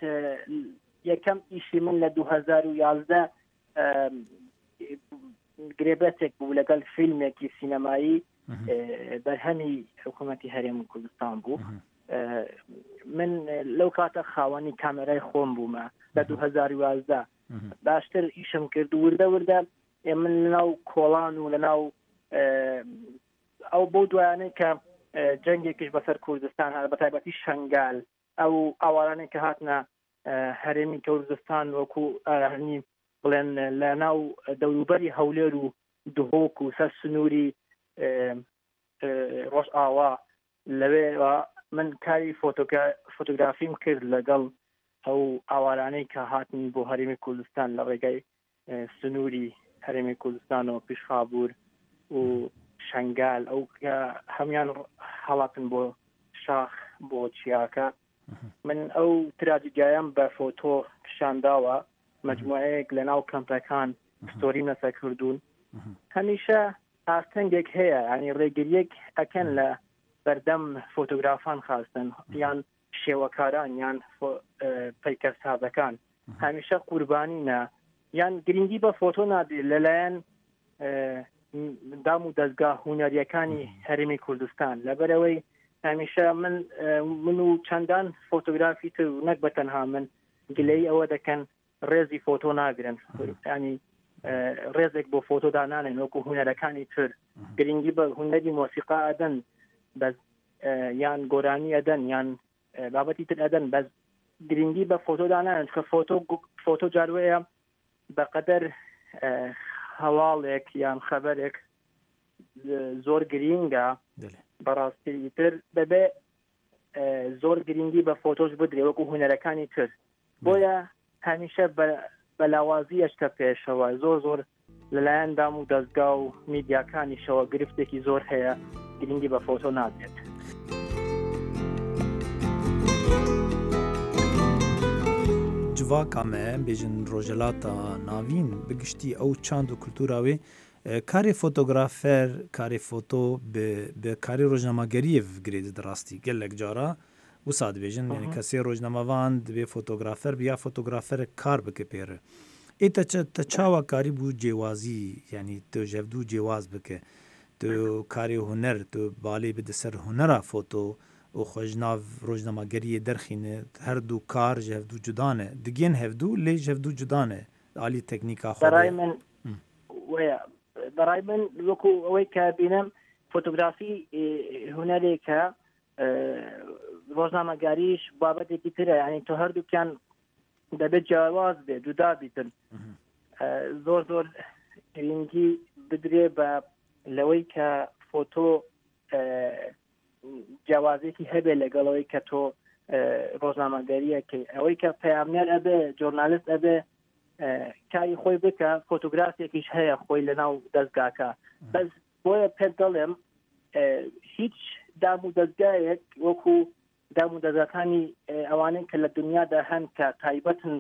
یەکەم ئیشی من لە دوو هەزار و یازدە گرێبەتێک بوو لەگەڵ فیلمێکی سینەمایی بەرهەمی حکوومەتی هەرێم کوردستان بوو. من لەو کاتە خاوەنی کامێرای خۆم بوومە لە دوو هەزار و یازدە. باشتر ئیشم کرد وردە وردە من لەناو کۆڵان و لەناو ئەو بۆ دوایانەی کە جەنگێکیش بەسەر کوردستان هات، بە تایبەتی شەنگال، ئەو ئاوارانەی کە هاتنە هەرێمی کوردستان وەکو هەنی بڵێن لە ناو دەوروبەری هەولێر و دهۆک و سەر سنووری ڕۆژئاوا، لەوێ من کاری فۆتۆگرافیم کرد لەگەڵ ئەو ئاوارانەی کە هاتن بۆ هەرێمی کوردستان لە ڕێگای سنووری هەرێمی کوردستانەوە پیشخابوور و شەنگال، ئەو کە هەموان هەڵاتن بۆ شاخ بۆ چیاکە. من ئەو تراجیدیایم بە فۆتۆ پیشانداوە، مجموعەیەک لە ناو کەمپەکان ستۆریم لەسەر کردوون. هەمیشە ئاستەنگێک هەیە، ینی ڕێگریەک ئەکەن لە بەردەم فۆتۆگرافان خواستن یان شێوەکاران یان پەیکەرسازەکان. هەمیشە قوربانینە یان گرنگی بە فۆتۆ نادێت لەلایەن دام و دەستگا هونەریەکانی هەرێمی کوردستان. لەبەرەوەی هەمیشە من من و چەندان فۆتۆگرافی تر و نەک بە تەنها من گلەی ئەوە دەکەن ڕێزی فۆتۆ ناگرن، ینی ڕێزێک بۆ فۆتۆ دانانێن وەکو هونەرەکانی تر. گرنگی بە هونەری مۆسیقا ئەدەن بەس، یان گۆرانی ئەدەن، یان بابەتی تر ئەدەن، بەس گرنگی بە فۆتۆ دانانێن، چونکە فۆتۆ فۆتۆ جاروەیە بەقەدەر هەواڵێک یان خەبەرێک زۆر گرینگە. بەڕاستی تر دەبێ زۆر گرنگی بە فۆتۆش بدرێ وەکو هونەرەکانی تر. بۆیە هەمیشە بە لاوازی ئەشتە پێشەوە، زۆر زۆر لەلایەن دام و دەستگا و میدیاکانیشەوە گرفتێکی زۆر هەیە، گرنگی بە فۆتۆ نادرێت.
جڤاکا me bêjin rojhilata navîn bi giştî ew çand û kultura wê karê fotografer, karê foto bi bi karê rojnamegeriyê girê dide rastî gelek cara wisa dibêjin, yani kesê rojnamevan dibê fotografer bi ya fotografer kar bike pêre. Ê te te çawa karî bû cêwazî, yani tu ji hevdû cêwaz bike, tu karê huner, tu balê bide ser hunera foto û xwe ji nav rojnamegeriyê derxîne, her du kar ji hevdû cuda ne, digên hevdû lê ji hevdû cuda ne alî teknîka xwe.
Beray min waya بەڕای من وەکو ئەوەی کە بینم فۆتۆگرافی هونەرێکە، ڕۆژنامەگاریش بابەتێکی ترە، یعنی تۆ هەردووکیان دەبێت جیاواز بێ، جودا بیتن. زۆر زۆر گرنگی بدرێ بە لەوەی کە فۆتۆ جیاوازێکی هەبێ لەگەڵەوەی کە تۆ ڕۆژنامەگەریەکەی. ئەوەی کە پەیامنێر ئەبێ، ژۆرنالیست ئەبێ کاری خۆی بکە، فۆتۆگرافێکیش هەیە خۆی لەناو دەستگاکە. بەس بۆیە پێت دەڵێم هیچ دام و دەستگایەک وەکو دام و دەستگاکانی ئەوانەی کە لە دنیادا هەن کە تایبەتن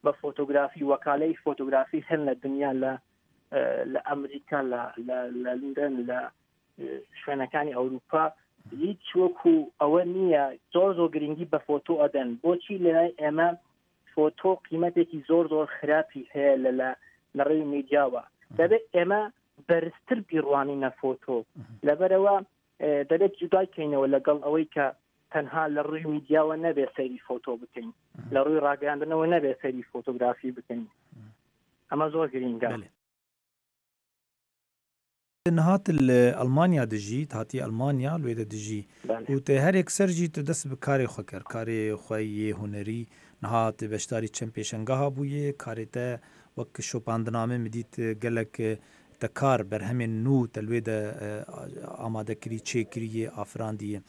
بە فۆتۆگرافی، وەکالەی فۆتۆگرافی هەن لە دنیا، لە لە ئەمریکا، لە لە لەندەن، لە شوێنەکانی ئەوروپا، هیچ وەکو ئەوە نییە. زۆر زۆر گرنگی بە فۆتۆ ئەدەن. بۆچی لەلای ئێمە فۆتۆ قیمەتێکی زۆر زۆر خراپی هەیە لە لە ڕێی میدیاوە؟ دەبێت ئێمە بەرزتر بیڕوانینە فۆتۆ، لەبەرەوە دەبێت جودای کەینەوە لەگەڵ ئەوەی کە تەنها لە ڕووی میدیاوە نەبێت سەیری فۆتۆ بکەین، لە ڕووی ڕاگەیاندنەوە نەبێت سەیری فۆتۆگرافی بکەین. ئەمە زۆر گرنگە.
نهات ئەڵمانیا دەژیت، هاتی ئەڵمانیا لێدە دەژی و تێ هەرێک سەرژی تە دەست بە کارێ خۆ کرد، کارێ خۆی هونەری نهات بەشداری چەند پێشەنگەها بوویە، کارێ تە وەک شۆپاندنامە مدیت gelek te kar berhemên nû te li wê de amadekirî, çêkiriye, afirandiye.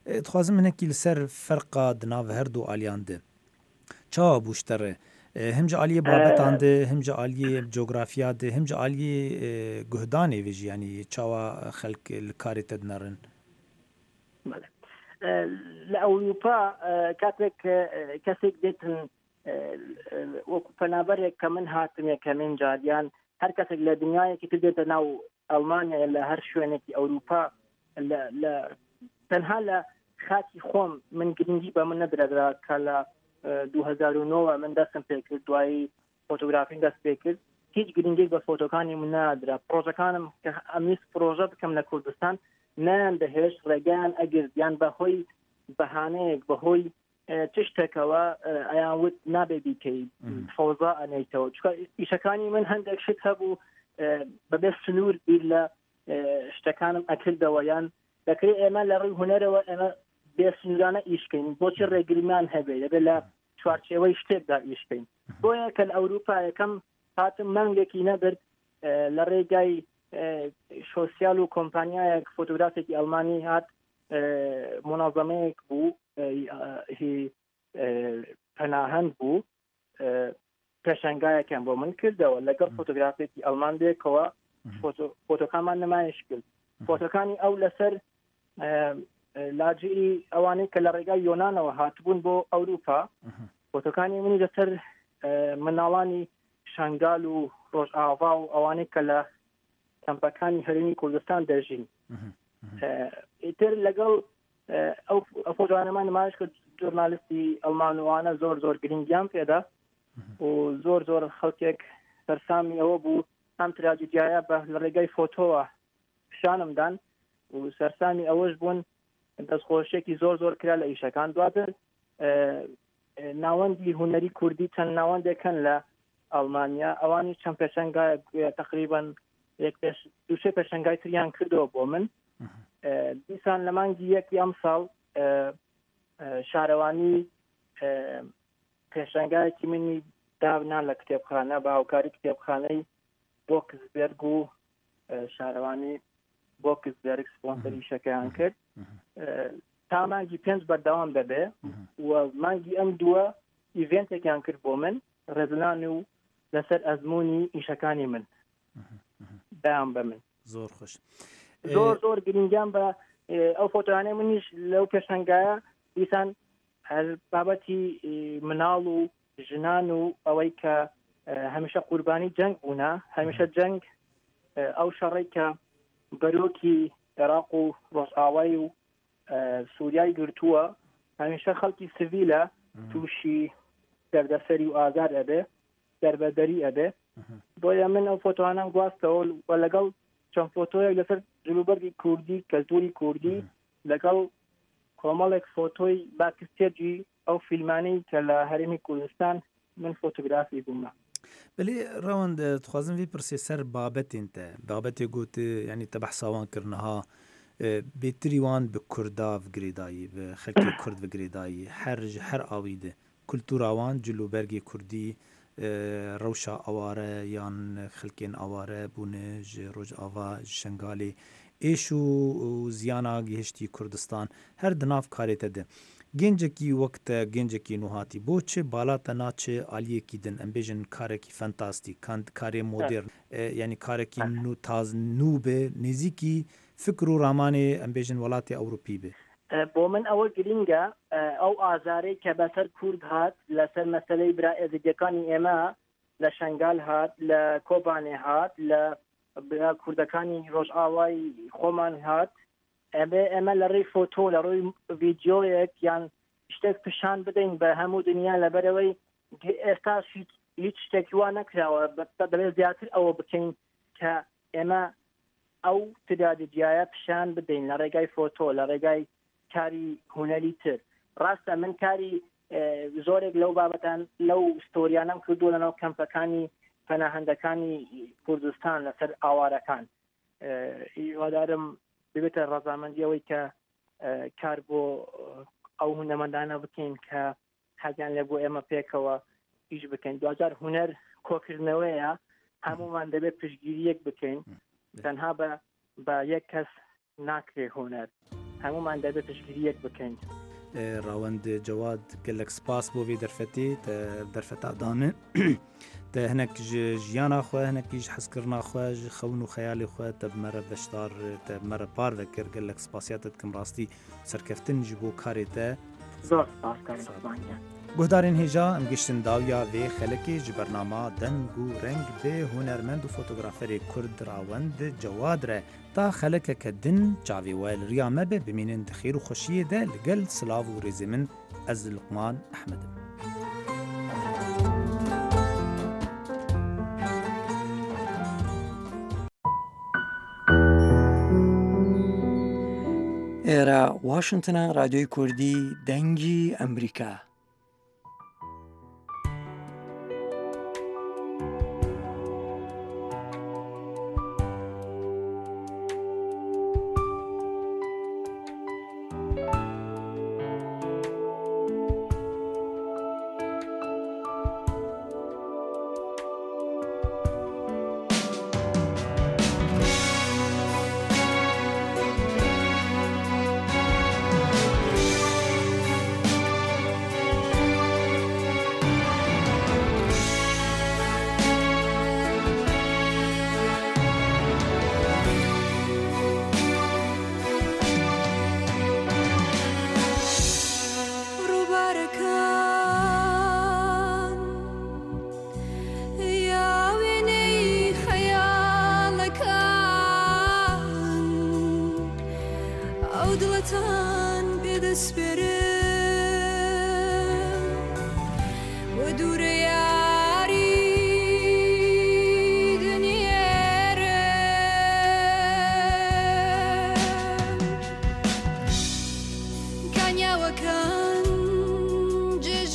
Dixwazim hinekî li ser ferqa di nav her du aliyan de çawa bû ji te re? Hem ji aliyê babetan de, hem ji aliyê coğrafya de, hem ji aliyê guhdanê vê jî, yanî çawa xelk li karê te dinerin?
لە ئەوروپا کاتێک کەسێک دێتن وەکو پەنابەرێک کە من هاتم یەکەمین جاریان، هەر کەسێک لە دنیایەکی تر دێتە ناو ئەڵمانیا لە هەر شوێنێکی ئەوروپا، لە تەنها لە خاکی خۆم من گرنگی بە من نەدرا کە لە دوو هەزار و نۆ من دەستم پێکرد، دوایی فۆتۆگرافیم دەست پێکرد، هیچ گرنگێک بە فۆتۆکانی من نادرا. پرۆژەکانم کە ئەمویست پرۆژە بکەم لە کوردستان نایان دەهێشت، ڕێگەیان ئەگرت، یان بەهۆی بەهانەیەک، بەهۆی چ شتێکەوە ئەیان وت نابێ بیکەی، فەوزا ئەنێیتەوە. چونکە ئیشەکانی من هەندێک شت هەبوو بەبێ سنوور بیر لە شتەکانم ئەکردەوە، یان دەکرێت ئێمە لە ڕووی هونەرەوە ئێمە بێ سنوورانە ئیشکەین، بۆچی ڕێگریمان هەبێ؟ دەبێت لە چوارچێوەی شتێکدا ئیشکەین. بۆیە کە لە ئەوروپا یەکەم هاتم مانگێکی نەبرد لە ڕێگای شۆسیال و کۆمپانیایەک فۆتۆگرافێکی ئەڵمانی هات، منەظەمەیەک بوو، هی پەناهەند بوو، پێشەنگایەکیان بۆ من کردەوە لەگەڵ فۆتۆگرافێکی ئەڵمان بێکەوە فۆتۆکانمان نمایش کرد. فۆتۆکانی ئەو لەسەر لاجئی ئەوانەی کە لە ڕێگای یۆنانەوە هاتبوون بۆ ئەوروپا، فۆتۆکانی منی لەسەر مناڵانی شنگال و ڕۆژئاوا و ئەوانەی کە لە کەمپەکانی هەرێمی کوردستان دەژین. ئیتر لەگەڵ ئەو فۆتۆانەمان نمایش کرد، ژۆرنالیستی ئەڵمانوانە زۆر زۆر گرنگیان پێدا و زۆر زۆر خەڵکێک سەرسامی ئەوە بوو ئەم تراجیدیایە بە لە ڕێگای فۆتۆوە پیشانم دان و سەرسامی ئەوەش بوون. دەستخۆشیێکی زۆر زۆر کرا لە ئیشەکان. دواتر ناوەندی هونەری کوردی چەند ناوەندێک هەن لە ئەڵمانیا، ئەوانی چەند پێشەنگای تقریبا یەک پێش دوو سێ پێشەنگای تریان کردەوە بۆ من. دیسان لە مانگی یەکی ئەمساڵ شارەوانی پێشەنگایەکی منی دابنا لە کتێبخانە بە هاوکاری کتێبخانەی بۆکسبێرگ و شارەوانی بۆکسبێرگ سپۆنسەری شەکەیان کرد. تا مانگی پێنج بەردەوام دەبێ و مانگی ئەم دووە ئیڤێنتێکیان کرد بۆ من ڕێزلان و لەسەر ئەزمموی ئیشەکانی من دایان بە من.
زۆر خۆش،
زۆر زۆر گرنگیان بە ئەو فۆتۆیانەی منیش لەو پێشەنگایە دیسان هەر بابەتی مناڵ و ژنان و ئەوەی کە هەمیشە قوربانی جەنگ بوونە، هەمیشە جەنگ ئەو شەڕەی کە بەرۆکی عێراق و ڕۆژئاوای و سووریای گرتووە، هەمیشە خەڵکی سڤیلە تووشی دەردەسەری و ئازار ئەبێ، دەربەدەری ئەبێ. بۆیە من ئەو فۆتۆانەم گواستەوە و لەگەڵ چەند فۆتۆیەک لەسەر جلوبەرگی کوردی، کەلتوری کوردی، لەگەڵ کۆمەڵێک فۆتۆی backstage ی ئەو فیلمانەی کە لە هەرێمی کوردستان من فۆتۆگرافی بوومە.
بەێ ڕەوەند دخوازم vê pirsê ser babetên te، babetê got yanî te behsa wan kirniha bêtirî wan bi Kurda girêdayî، bi xelkê Kurd girêdayî, her ji her awî de kultura wan cilûbergê Kurdî rewşa aware yan xelkên aware bûne ji Rojava ji Şengalê êş û ziyana gihiştî Kurdistan her di nav karê te de. Gencekî wek te gencekî nû bo çi bala te naçe aliyekî din, em bêjin karekî fantastîk, karê modern, yanî karekî nû taz nû be, nêzîkî fikr û ramanê em bêjin welatê Ewropî be.
بۆ من ئەوە گرینگە ئەو ئازارەی کە بەسەر کورد هات لەسەر مەسەلەی برا ئێزیدیەکانی ئێمە لە شەنگال هات، لە کۆبانێ هات، لە برا کوردەکانی ڕۆژئاوای خۆمان هات، ئەبێ ئێمە لە ڕێی فۆتۆ لە ڕووی ڤیدیۆیەک یان شتێک پیشان بدەین بە هەموو دنیا، لەبەرەوەی ئێستا هیچ شتێکی وا نەکراوە. دەبێت زیاتر ئەوە بکەین کە ئێمە ئەو تراجیدیایە پیشان بدەین لە ڕێگای فۆتۆ، لە ڕێگای کاری هونەری تر. ڕاستە من کاری زۆرێک لەو بابەتان لەو ستۆریانم کردو لەناو کەمپەکانی پەناهەندەکانی کوردستان لەسەر ئاوارەکان. هیوادارم ببێتە ڕەزامەندی ئەوەی کە کار بۆ ئەو هونەرمەندانە بکەین کە حەزیان لێ بۆ ئێمە پێکەوە ئیش بکەین. دواجار هونەر کۆکردنەوەیە، هەمومان دەبێت پشتگیریەک بکەین، تەنها بە بە یەک کەس ناکرێ هونەر، هەمومان دەبێت پشتگیریەک بکەین.
ڕەوەند جەواد gelek spas بۆ vê derfetê te derfeta dane te hinek ji jiyana xwe hinekî ji hezkirina xwe ji xewn û xeyalê xwe te bi me re beşdar te bi me re parve kir. Gelek spasiya te dikim rastî serkeftin ji bo karê te.
Zor spas karê Spanya.
Guhdarên hêja em gihiştin dawiya vê xelekê ji bernama Deng û Reng bi hunermend û fotograferê Kurd Rawend Cewad re ta xelekeke din çavê we li riya me be bimînin di xêr û xweşiyê de li gel silav û rêzê min ez Luqman Ehmed im.
ئێرە واشنگتنە، رادیۆی کوردی دەنگی ئەمریکا.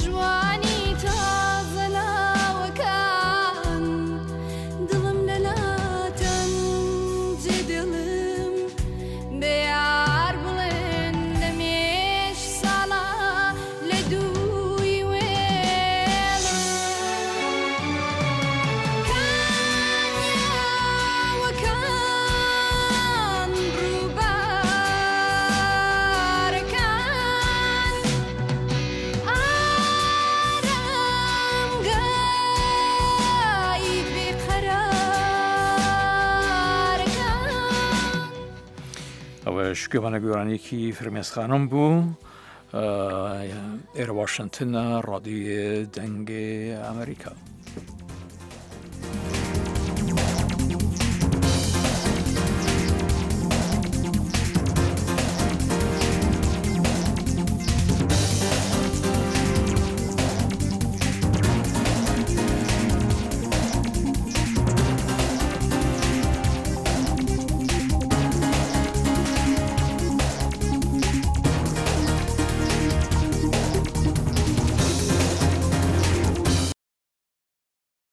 جوانی تازە ناوەکان. ئەوەش گوێمانە گۆرانیەکی فرمێس خانم بوو. ئێرە واشنتنە، ڕادیۆ دەنگێ ئەمریکا.